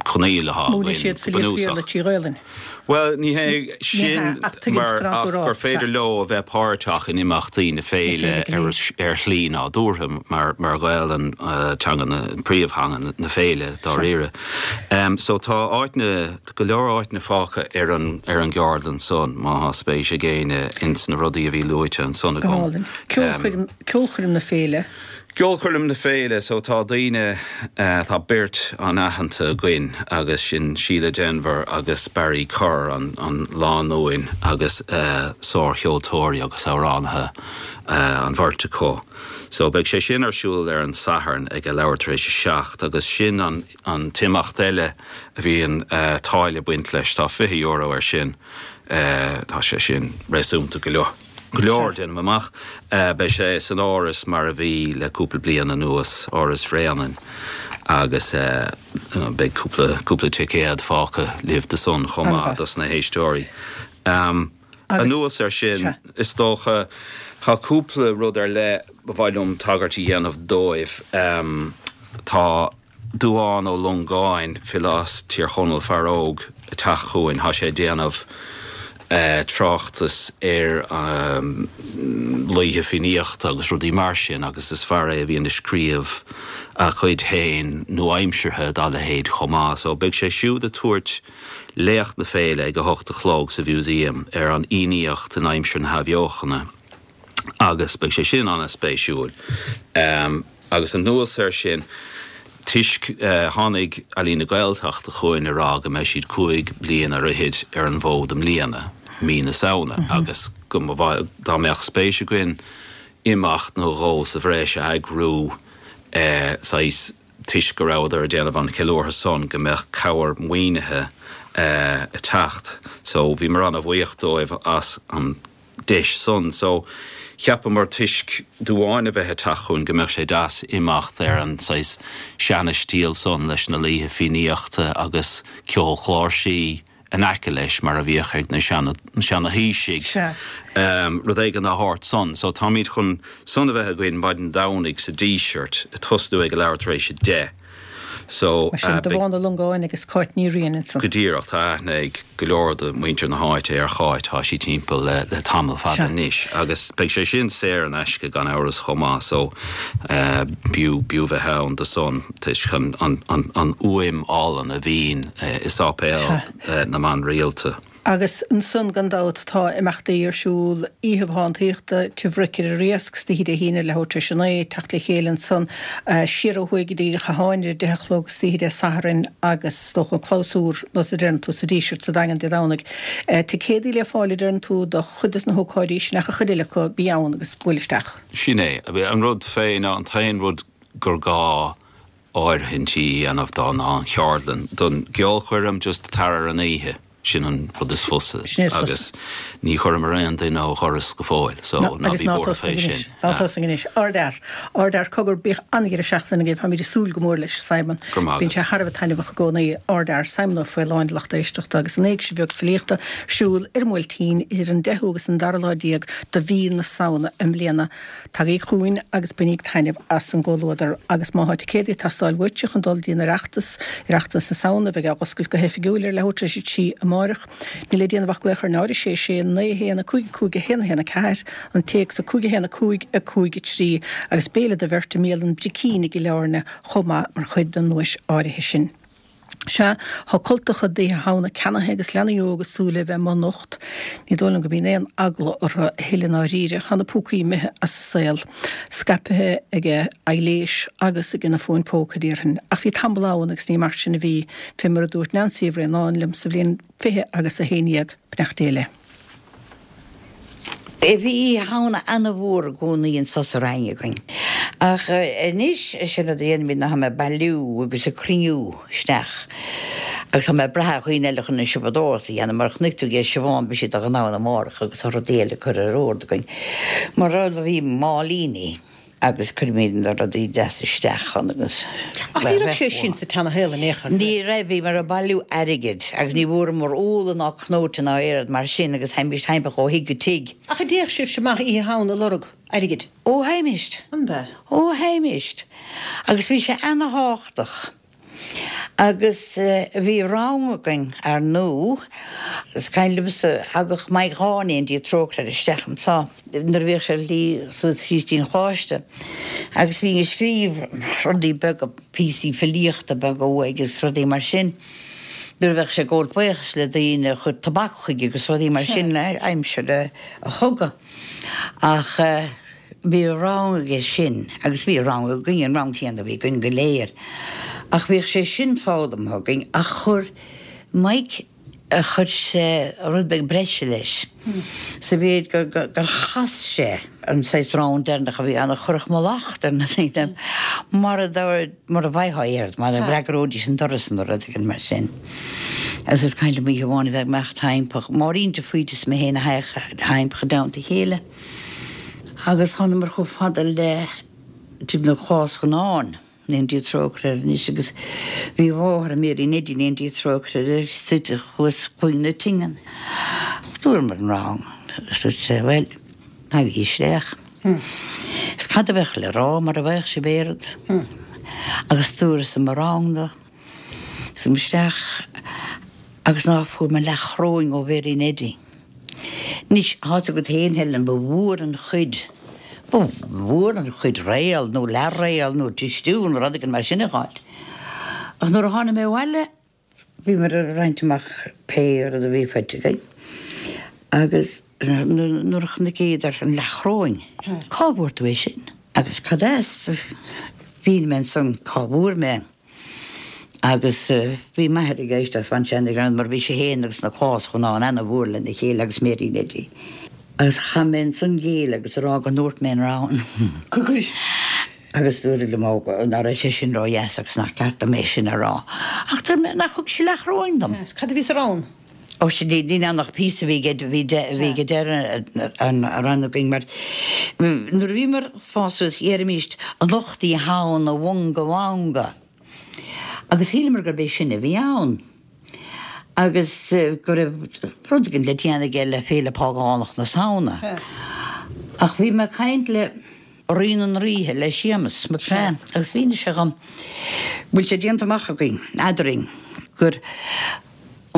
coinníoll atá Múineann siad againn go filíocht bunúsach. Bhéarla trí Ghaelainn. Bhuel, ní hé Ní sin hea, ach tuigim mar cad ach tú a rá, gur féidir sea. leo a bheith páirteach in imeachtaí na Na féile féile go ar léir. ar shlí nádúrtha mar mar Ghaelainn teanga na príomhtheanga na féile Sea. dáiríre. So tá áiteanna, go leor áiteanna fágtha ar an ar an gceardlann san má thá spéis ag éinne ins na rudaí a bhí luaite ansan Go agam. hálainn. Ceolchoirm, ceolchoirm na féile. Ceolchoirm na féile, so tá daoine, tá beirt an-aitheanta againn agus sin Síle Denvir agus Barry Kerr, an an lánúin agus sár-cheoltóirí agus amhránaithe an bheirt acu. So beidh sé sin ar siúl ar an Satharn ag a leathuair tar éis a seacht agus sin an an t-imeacht eile a bhíonn táille ag baint leis, tá fiche euro ar sin, tá sé sin réasúnta go leor. Go leor, déanaim amach. Beidh sé san Áras mar a bhí le cúpla bliain anuas, Áras Bhréanainn, agus beidh cúpla, cúpla ticéad fágtha libh do san chomh maith dos na héisteoirí. Anuas air sin, is dócha, tá cúpla rud ar leith ba mhaith liom tagairt a dhéanamh dóibh. Tá. Dubhán Ó Longáin, file as Tír Chonaill, fear óg, ag teacht chugainn. Thá sé ag déanamh tráchtas ar laoithe Fiannaíochta agus rudaí mar sin agus is fear é a bhíonn ag scríobh a chuid féin nua-aimseartha dá leithéid chomh maith. So beidh sé siúd ag tabhairt léacht na féile ag a hocht a chlog sa Mhúsaem ar an Fhiannaíocht in aimsir na hAthbheochana agus beidh sé sin an-spéisiúil. Agus anuas air sin, toisc tháinig Ealaín na Gaeltachta chugainn a rá go mbeidh siad cúig bliana ar fhichid ar an bhfód i mbliana, mí na Samhna, agus go mba mhaith dá mbeadh spéis againn imeacht nó dhó sa bhreis a eagrú, saghas, toisc go rabhadar ag déanamh an cheiliúrtha san, go mbeadh cabhair maoinithe ag teacht. So bhíomar ana-bhuíoch dóibh as an. deis san. So, cheapamar toisc Dubhán a bheith ag teacht chugainn go mbeadh sé deas imeacht ar an saghas seana-stíl san leis na laoithe Fiannaíochta agus ceol chláirsí in aice leis mar a bhíodh ag na seana-thaoisigh. Sea. Rud éigin dá shórt san. So táimid chun san a bheith againn maidin Domhnaigh sa Díseart ag tosnú ag a leathuair tar éis a deich. So, Mar sin, Dubhán Ó Longáin agus Cáit Ní Riain ansan. Go díreach, tá aithne ag go leor de mhuintir na háite ar Cháit, tá sí timpeall le, le tamall fada anois agus beidh sé sin saor in aisce gan amhras chomh maith so uh, b'fhiú b'fhiú bheith ann do san toisc an, an, an, an fhuaim álainn a bhíonn uh, i sáipéal uh, na mban rialta. Agus ansan gan dabht tá imeachtaí ar siúl Oíche Dhánaíochta Tigh Bhric ar an Riasc istoíche Dé hAoine leathuair tar éis a naoi, teacht le chéile ansan siar ó thuaidh go dtí an Chatháin ar a deich a chlog istoíche Dé Sathairn agus is dócha an clabhsúr nós a deireann tú sa Díseart sa Daingean Dé Domhnaigh. Ticéadaí le fáil a deireann tú do chuid des na hócáidí sin ach an chuid eile acu bí ann agus buail isteach. Sin é. An rud fé ná an t-aon rud gur gá áirithintí a dhéanamh dó ná an cheardlann don gceolchoirm just tar ar an oíche. Sin an rud is fusa agus ní chuireamar aon duine ó dhoras go fóill so ná bí buartha fé sin. Ná tosaigh anois. Ardfhear. Ardfhear. Cogar, bíodh an-dheireadh seachtaine agaibh. Táimid ag súil go mór leis, Simon. Go raibh maith agat. Bíonn sé thar a bheith taitneamhach i gcónaí. Ardfhear. Simon Ó Faoláin, lucht éisteachta agus an Éigse Bheag Filíochta ar siúl ar an mBuailtín idir an deichiú agus an dara lá déag de mhí na Samhna i mbliana. Tagaigí chugainn agus bainíg taitneamh as an gcomhluadar agus má thá ticéadaí ag teastáil uaitse chun dul dtí an Oireachtas, Oireachtas na Samhna a bheidh á oscailt go hoifigiúil ar leathuair tar éis a trí amáireach. Níl le déanamh ach glaoch ar náid a sé sé naoi a haon a cúig a cúig a haon a haon a ceathair, an téacs a cúig a haon a cúig a cúig a trí agus béile do bheirt i mbialann Bricín i gCill Airne chomh maith mar chuid den duais áirithe sin. Sea, tá cultacha d'Oíche Shamhna ceannaithe agus leanaí óga ag súil le bheith amuigh anocht. Ní dóigh liom go mbíonn aon eagla orthu a thuilleadh i ndáiríre. Tá na púcaí imithe as an saol, scaipthe ag aibhléis agus ag na fóin póca, déarfainn. Ach bhí tamall ann agus ní mar sin a bhí, fé mar a dúirt Neansaí Uí Bhraonáin liom sa bhliain fiche agus a haon dhéag, beannacht Dé léi. Bhí Oíche Shamhna ana-mhór i gcónaí anso sa Rinn againn. Ach anois, sin rud a dhéanaimid ná táim ag bailiú agus ag cruinniú isteach. Agus tá mé ag brath ar dhaoine eile chun an siopadóireacht a dhéanamh, mar chonaic tú aige Siobhán, beidh siad ann amárach agus tá rudaí eile curtha ar ord againn. Mar rud a bhí máilíní. Agus cuirimid na rudaí deasa isteach ann agus. Ach ní raibh sé sin sa tseanashaol in aon chor. Ní raibh, bhíomar ag bailiú airgid agus ní bhfuaireamar úlla ná cnóite ná aon rud mar sin agus theimis timpeall ó thigh go tigh. Ach an dtéadh sibhse amach Oíche Shamhna ag lorg airgid? Ó theimis. An b'ea? Ó theimis. Agus bhí sé ana-thábhachtach. Agus bhí rang againn, ar ndú, is cuimhin liomsa, thagadh Mike Dháithí i nDia Trócaire air isteach anso nuair a bhíodh sé ar a shlí suas síos dtí'n Choláiste agus bhínn ag scríobh rudaí beaga, píosaí filíochta beaga uaidh agus rudaí mar sin. Nuair a bheadh sé ag gabháil buíochas le daoine a chuir tobac chuige agus rudaí mar sin aimsir an chogaidh. Ach. Bhí rang aige sin agus bhí rang againn, an rang céanna a bhí againn go léir. Ach bhíodh sé sin foghlamtha againn ach chuir Mike, chuir sé rud beag breise leis sa mhéid gur, gur chas sé an saghas rann deireanach a bhí ann a chuirfeadh mallacht ar na daoine mura, mura bhfaighfeá air, mura bhfreagróidís an doras nó rud éigin mar sin. Agus is cuimhin liom oíche amháin a bheith ag imeacht timpeall, Máirín de Faoite is mé féin a théadh timpeall i dteannta a chéile. Agus thánamar chomh fada le Tigh na Cás Chonáin, go ndéana Dia trócaire air anois, agus bhí a mháthair, Mary Neidí, go ndéana Dia trócaire uirthi, suite thuas cúinne na tingean. Dúramar an rang agus dúirt sé, bhuel, tagaigí isteach. Is cad a bheadh le rá mara bhfaigheadh sibh aon rud? Agus dúras mo rang do. Suím isteach agus ná fuair mé leathchoróin ó Mhary Neidí. Anois, tá's agat féin, Helen, ba mhór an chuid, ba mhór an chuid réal nó leathréal nó cistiú nó rud éigin mar sin a dh'fháilt. Ach nuair a tháinig mé abhaile, bhíomar ag roinnt amach pé rud a bhí faighte againn agus nuair a chonaiceadar an leathchoróin, cá bhfuair tú é sin? Agus cad as? Mhínigh mé ansan cá bhfuair mé. Agus bhí m'athair ag éisteacht bhain sé an-ghreann mar bhí sé fhéin agus na Cás Chonáin ana-mhór lena chéile agus Mary Neidí. Agus chaith mé ansan géilleadh agus a rá go ndúirt mé an rann. Agus dúradh liom ó ná raibh sé sin ró-dheas agus nach ceart dom é sin a rá. Ach dúirt mé nach thug sí leathchoróin dom. Cad a bhí sa rann? Ó sin níl ann ach píosa a bhí a bhí ag deireadh an rann againn mar nuair a bhíomar ag fás suas deirimíst anocht Oíche Shamhna mhunga mhanga. Agus shíleamar gurb é sin a bhí ann agus go raibh rud éigin le déanamh aige le féile págánach na Samhna. Ach bhí mé ag caint le Rí na nDraoithe le Séamus Mac Craith agus mhínigh sé dhom go bhfuil sé déanta amach againn, eadrainn, gur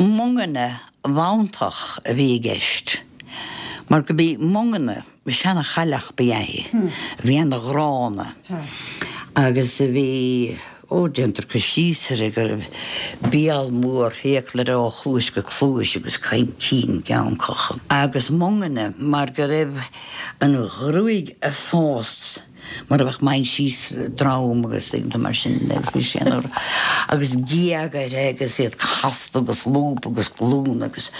Mongana Mhantach a bhí i gceist, mar go b'í Mongana, seana-chailleach ba ea í, a bhí ana-ghránna agus a bhí, ó, déantar cur síos uirthi go raibh béal mór fiacail uirthi ó chluais go cluais agus cinn geancach agus Mongana mar go raibh an ghruaig ag fás mar a bheadh mainsíos drom agus laethanta mar sin agus bhí sé ina agus géaga uirthi agus iad casta agus lúb agus glún agus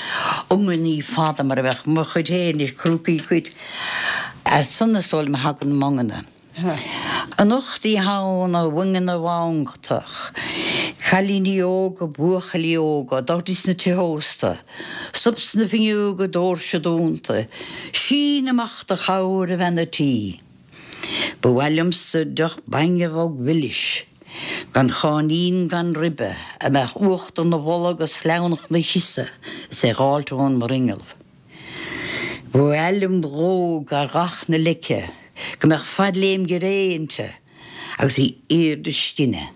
iongannaí fada mar a bheadh mo chuid féin anois crúcaí cuid as san is dóigh liom a thagann Mongana. Anocht Oíche Shamhna a Mhongana Mhantach, cailíní óga, buachaillí óga, dul sna tithe ósta, stop sna fuinneoga, doirse dúnta, sín amach do chabhair a bhean a' tí. Ba mhaith liomsa deoch bainne bhog mhilis, gan cháinín gan ribe, a mbeadh uachtar 'na bholadh agus sleamhnach 'na chiosadh is é dh'fháilt ón mbruinneall. Ba mhaith liom dhó gar dhath na leice, go mbeadh fadléim giré inti agus í airde scine.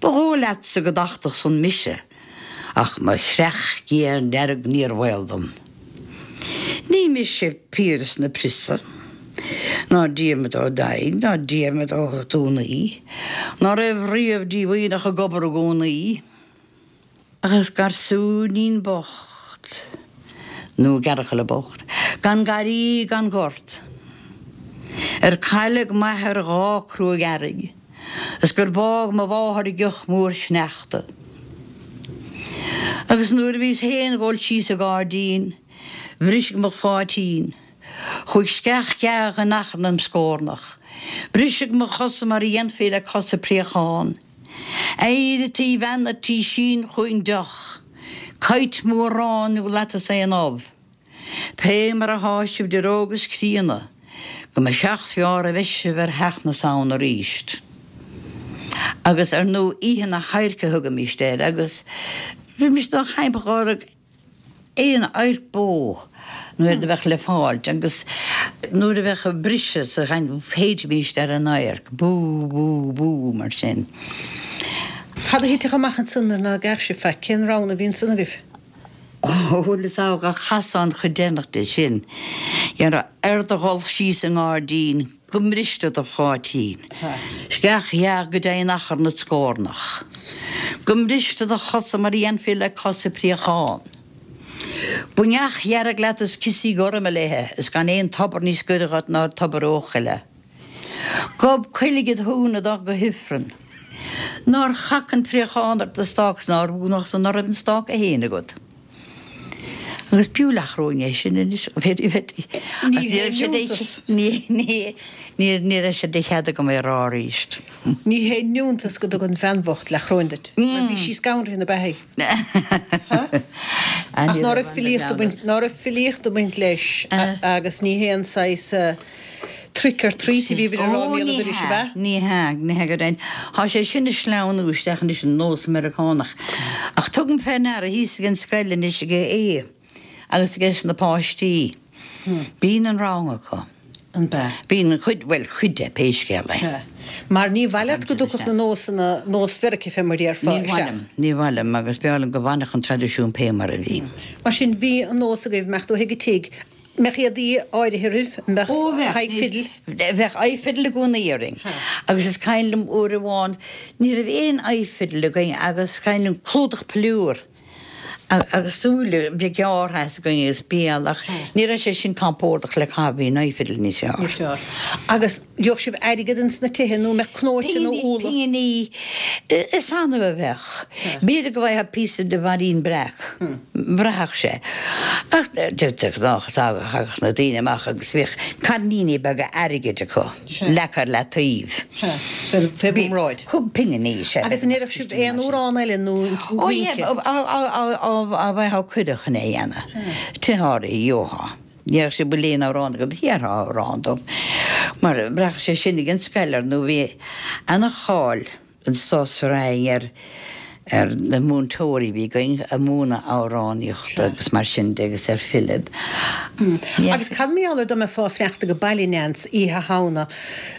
Ba dhóigh leatsa go dtachtfadh san mise, ach mo chreach ghéar dearg níor bhaol dom. Ní mise Piaras na Priosa, ná Diarmaid Ó Daill, ná Diarmaid Ó Dúnaí, ná raibh riamh díomhaoineach ag obair i gcónaí. Ach is garsúinín bocht, nó gearrchaile bocht, gan garraí gan gort, ar cailleadh m'athair dhá cruaidh earraigh, is gur bádh mo mháthair i gcioth mór sneachta. Agus nuair a bhíos féin dhul síos an gairdín, bhriseadh mo pháitín, chuaigh sceach ghearr in achar im scornach, briseadh mo chosa mar a dhéanfaí le cosa préachán. Éirigh a bhean a' tí sín chugainn deoch, coit mór aráin nó lattas aon ubh. Pé mar athá sibh idir óg is críonna, go mba seacht bhfeárr a bheidh sibh ar theacht na Samhna aríst. Agus ar ndú Oíche na hAdhairce a thugaimíst air agus bhímist dá chaimp dhá aon adharc bó nuair a bheadh le fáilt agus nuair a bheadh briseadh sa chaint shéidfimíst ar an adharc, bú, bú, bú, mar sin. Cad a thitfeadh amach ansan nuair ná geadh sibh faic? Cén roghanna a bhí ansan agaibh? Ó, bhuel, is ádh a chasán an chuid deireanach de sin. Dhéarfá, ar do dhul síos an ngairdín go mbriste do pháitín. Sceach ghearr go dté in achar na scornach. Go mbriste do chosa mar a dhéanfaí le cosa préachán. Buinneach dhearg leat is ciosaí gorma léithe is gan aon tobar níos gaire dhuit ná tobar Eochaille. Gob coiligh id thóin a dul go hIfreann. Nár chac an préachán ar do stác 's nár mhúnach san ná raibh an stáca fhéin agat. Agus b'fhiú leathchoróin é sin anois, very very. Ní hé iontas. Ní, ní, ní, ní raibh sé de chead agam é a rá arís. Ní hé iontas go dtug an bhean bhocht leathchoróin duit, mar bhí sí scanraithe ina beathaidh. Ach ná raibh filíocht ag baint, ná raibh filíocht ag baint leis agus ní haon saghas trick or treat a bhí bhí a rá Ó, mí ní an dorais, ab hea, ea? ní hea, ní hea go deimhin. Tá sé sin ag sleamhnú isteach anois an nós Meiriceánach. Ach tugaim fé ndeara thíos ag an scoil anois ag Aodh agus aige na páistí. Bíonn an rang acu. An bea? Bíonn cuid, bhuel, cuid de, pé scéal é. Sea. Mar ní mhaith leat go dtiocfadh na nósanna, nós Mheiriceá fé mar a déarfá, Ní mhaith isteach. liom, ní mhaith liom agus b'fhearr liom go bhfanfadh an traidisiún pé mar a bhí. Mar sin, bhí an nós agaibh, mbeadh tú chuig an tigh, mbeadh éadaí áirithe oraibh, mbeadh Ó, bheadh, aghaidh fidil? Bheadh aghaidh fidil i gcónaí orainn. Agus is cuimhin liom uair amháin, ní raibh aon aghaidh fidil againn agus is cuimhin liom clúdach piliúr agus súile beag gearrtha as againn agus béal ach ní raibh sé sin compordach le caitheamh, bhí an aghaidh fidil níos fearr. Níos fearr. Agus gheobhadh sibh airgead ins na tithe nó mbeadh cnóite nó úlla? Pinginí, is annamh a bheadh. B'fhéidir go bhfaigheá píosa de bhairín breac, bhraithfeadh sé. Ach de ghnáth thagadh na daoine amach agus bhíodh cairníní beaga airgid acu leagtha ar leataobh. Fé bhun bráid. Pinginí, sea. Agus an ndéarfadh sibh aon amhrán eile nó rince? Á bhfaightheá cuireadh chun é a dhéanamh. Tithe áirithe, gheofá. Déarfadh siad bhfuil aon amhrán agat, dhéarfá amhrán dóibh. Mar bhraithfeadh sé sin ag an scoil ar ndóigh bhí ana-cháil anso sa Rinn ar ar na múinteoirí a bhí againn ag múineadh amhránaíochta agus mar sin de agus ar Philib. Agus cad mar gheall ar dá mbeifeá ag fanacht ag baile Neans Oíche Shamhna,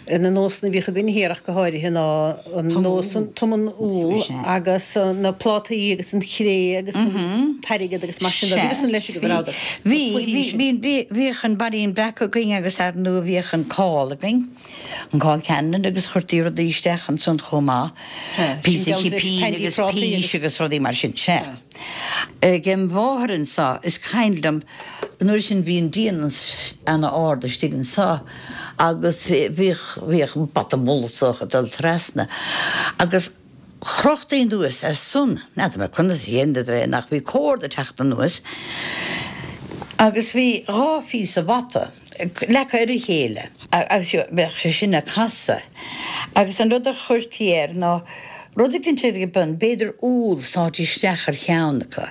na nósanna a bhíodh againn thiar ach go háirithe ná an nós an tom an úll agus na plátaí agus an chré agus an t-airgead agus mar sin de. Bhí san leis agaibh an rabhadar? Bhí, bhí, bhí, bhíodh an baillín breac againn agus ar ndóigh bhíodh an cál againn, an cál ceannann agus chuirtí rudaí isteach ansan chomh maith. Píosa cipín agus pís agus rudaí mar sin. Sea. Ag im mháthair anso, is cuimhin liom, an uair sin bhí an díon ana-ard istigh anso agus bhíodh, bhíodh bata molsach ag dul trasna agus chrochtaí anuas as san, n'fheadar mé conas a dheineadar é ach bhí córd ag teacht anuas agus bhí dhá phíosa bata leagtha ar a chéile agus bheadh sé sin ag casadh agus an rud a chuirtí air ná rud éicint ag bun, b'fhéidir úll sáite isteach ar cheann acu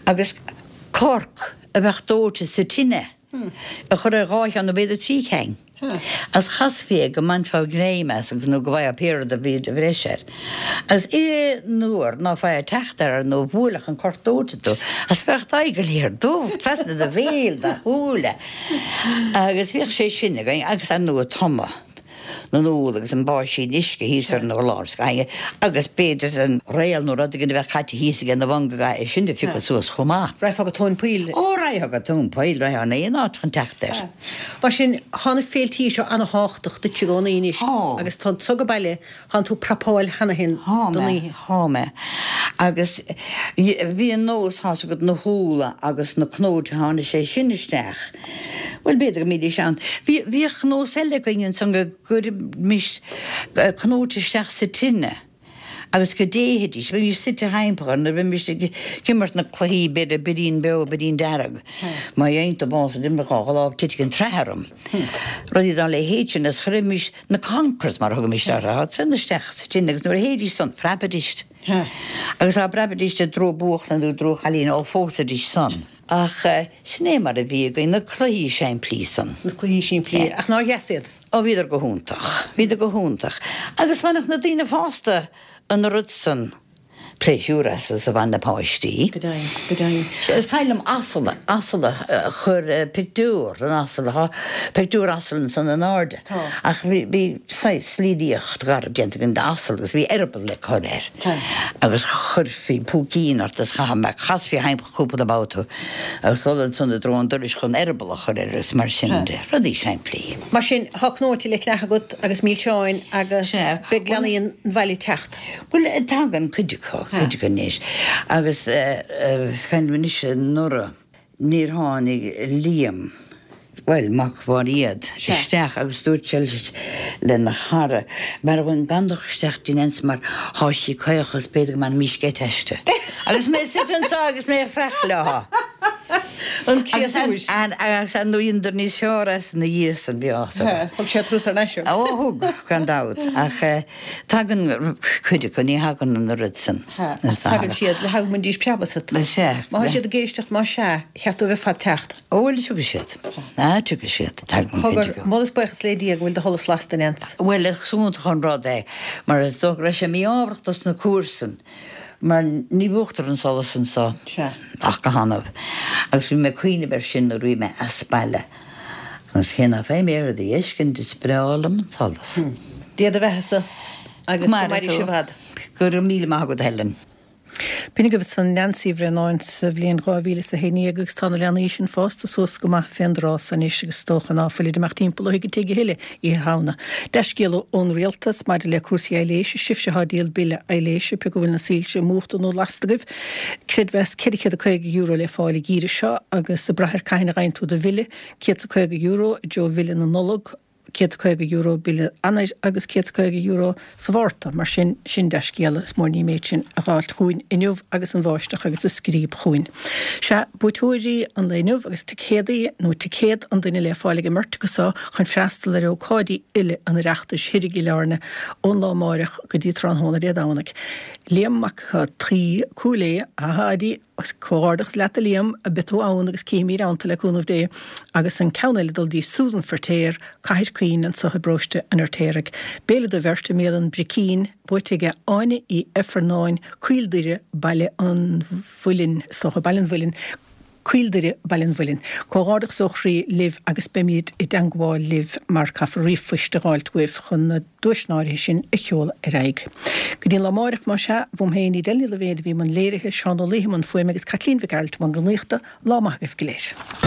agus corc a bheadh dóite sa tine a chur ar dhá cheann nó b'fhéidir trí cheann agus chasfaí é go mbainfeá greim as agus nó go bhfaigheá pé rud a bhí de bhreis air. Agus aon uair ná faigheá teacht air nó bhuailfeadh an corc dóite tú agus bheadh d'aghaidh go léir dubh trasna do bhéil, do shúile agus bhíodh sé sin againn agus ar ndóigh tumadh. na n-úll agus an báisín uisce thíos ar an urlár scainge agus b'fhéidir an réal nó rud éigin a bheadh caite thíos aige ina bhun go gcaithfí é sin a phiocadh suas chomh maith. Raghfá go tóin poill. Ó, raghfá go tóin poill, raghfá in aon áit chun teacht air. Mar sin, thá na féiltí seo ana-thábhachtach duit i gcónaí anois agus tá tú ag baile, thánn tú prapáil cheana féin don oíche. Thá mé. Agus bhí an nós, thá's agat, na húlla agus na cnóite, tháinig sé sin isteach. Bhuel, b'fhéidir go mbídís ann. Bhí, bhíodh nós eile againn ansan go gcuirimis cnóite isteach sa tine agus go dtéithidís. Bhímis suite thimpeall orthu nuair a bhímis ag imirt na cluichí, b'fhéidir birín beo, birín dearg. Má dhéanann tú bás ag imirt dhá lámh titfidh an tsraith orm. Rudaí dá leithéid sin agus chuirimis na conkers, mar a thugaimis orthu, san isteach sa tine agus nuair a théidís san, phreabaidís. Agus dá bpreabaidís i dtreo buachalla nó i dtreo chailín, ó phósaidís san. Ach sin é mar a bhí againn, na cluichí simplí san. Na cluichí simplí. Ach nár dheas iad? Ó bhíodar go hiontach. Bhíodar go hiontach. Agus bhainfeadh na daoine fásta an oiread san pléisiúr as is a bhain na páistí. Go deimhin, go deimhin. Sea, is cuimhin liom asal, asal a chur, pictiúr den asal, tá pictiúr asail ansan in airde. Tá. Ach bhí, bhí saghas líníocht gharbh déanta againn d'asal agus bhí eireaball le cur air. Tá. Agus chuirfí púicín ort is chaithfeá, chasfaí thimpeall cúpla babhta agus dul ansan i dtreo an dorais chun eireaball a chur air agus mar sin de, rudaí simplí. Mar sin, tá cnóite le ceannach agat agus milseáin agus beidh leanaí an bhaile ag teacht. Bhuel, tagann cuid acu, cuid acu anois. Agus is cuimhin liom anois anuraidh, níor tháinig Liam, bhuel, mac Mháiréad, isteach agus dúirt sé lena chara, b'fhearr dhúinn gan dul isteach dtí Neans mar thá sí caoch agus b'fhéidir go mbainfimís geit aisti. Agus mé suite anseo agus mé ag creach leo. An créatúr. Agus ar ndóigh dheineadar níos fearr as ina dhiaidh san, bhí áthas orthu. Thug sé turas thar n-ais ort. Ó thug, gan dabht. Ach tagann cuid acu, ní thagann an oiread san. Tagann siad le haghaidh go mbainfidís preab asat. Sea. Má tá siad ag éisteacht, más ea, cheart dóibh ar fad teacht. Ó bhuel, tiocfaidh siad. Ah, tiocfaidh siad. Tagann cuid acu. Cogar, moladh is buíochas le Dia go bhfuil do sholas lasta, Neans. Bhuel, is iontach an rud é, mar is dócha go raibh sé mí-ámharach dos na comharsain, mar ní mhúchtar an solas anso ach go hannamh. Agus bhí mé ag cuimhneamh air sin nuair a bhí mé as baile. Agus cé ná faighim aon rud a fheiscint, is breá liom an solas. Dia do bheathasa agus go mairí sibh fhad. Go raibh míle maith agat, Helen. B'in agaibh ansan Neansaí Uí Bhraonáin sa bhliain dhá mhíle is a haon déag agus tá na leanaí sin fásta suas go maith fén dtráth so anois agus is dócha ná fuilid amach timpeall ó thigh go tigh a thuilleadh Oíche Shamhna. Dea-scéala ón Rialtas maidir le cúrsaí aibhléise, sibhse atá ag díol bille aibhléise, pé acu bhfuil na soilse múchta nó lasta agaibh. Creidmheas ceithre chéad is caoga euro le fáil an geimhreadh seo agus ag brath ar cathain a gheibheann tú do bhille, céad is caoga euro i dtreo bhille na Nollag, céad is caoga euro bille Eanáir agus céad is caoga euro sa Mhárta. Mar sin, sin dea-scéala. Is mór an ní an méid sin a dh'fháilt chugainn inniu agus an bháisteach agus an scríob chugainn. Sea, buaiteoirí an lae inniu agus ticéadaí nó ticéad an duine le fáil ag an mbeirt acu so chun freastal ar ócáidí uile an Oireachtais thoir i gCill Airne ón lá amáireach go dtí tráthnóna Dé Domhnaigh. Liam Mac Taoi, Cúil Aodha, a Pháidí, comhghairdeachas leat a Liam, beidh tú ann agus cífimid ann tú le cúnamh Dé, agus an ceann eile ag dul dtí Susan Feirtéar, Cathair Chaoin anso i bparóiste an Fheirtéaraigh. Béile do bheirt i mbialann Bricín, buaite aige Áine Uí Ifearnáin, Coill Doire, Baile an Mhuilinn, is dócha, Baile an Mhuilinn, Coill Doire, Baile an Mhuilinn. Comhghairdeachas ó chroí libh agus beimid i dteangmháil libh mar caithfear ríomhphoist a dh'fháilt uaibh chun na duaiseanna áirithe sin a sheoladh ar aghaidh. Go dtí an lá amáireach, más ea, uaim féin, Edel Ní Loibhéad a bhí i mbun léirithe, Seán Ó Laoithe i mbun fuaime agus Caitlín Mhic Gearailt i mbun rúnaíochta, lá maith agaibh go léir.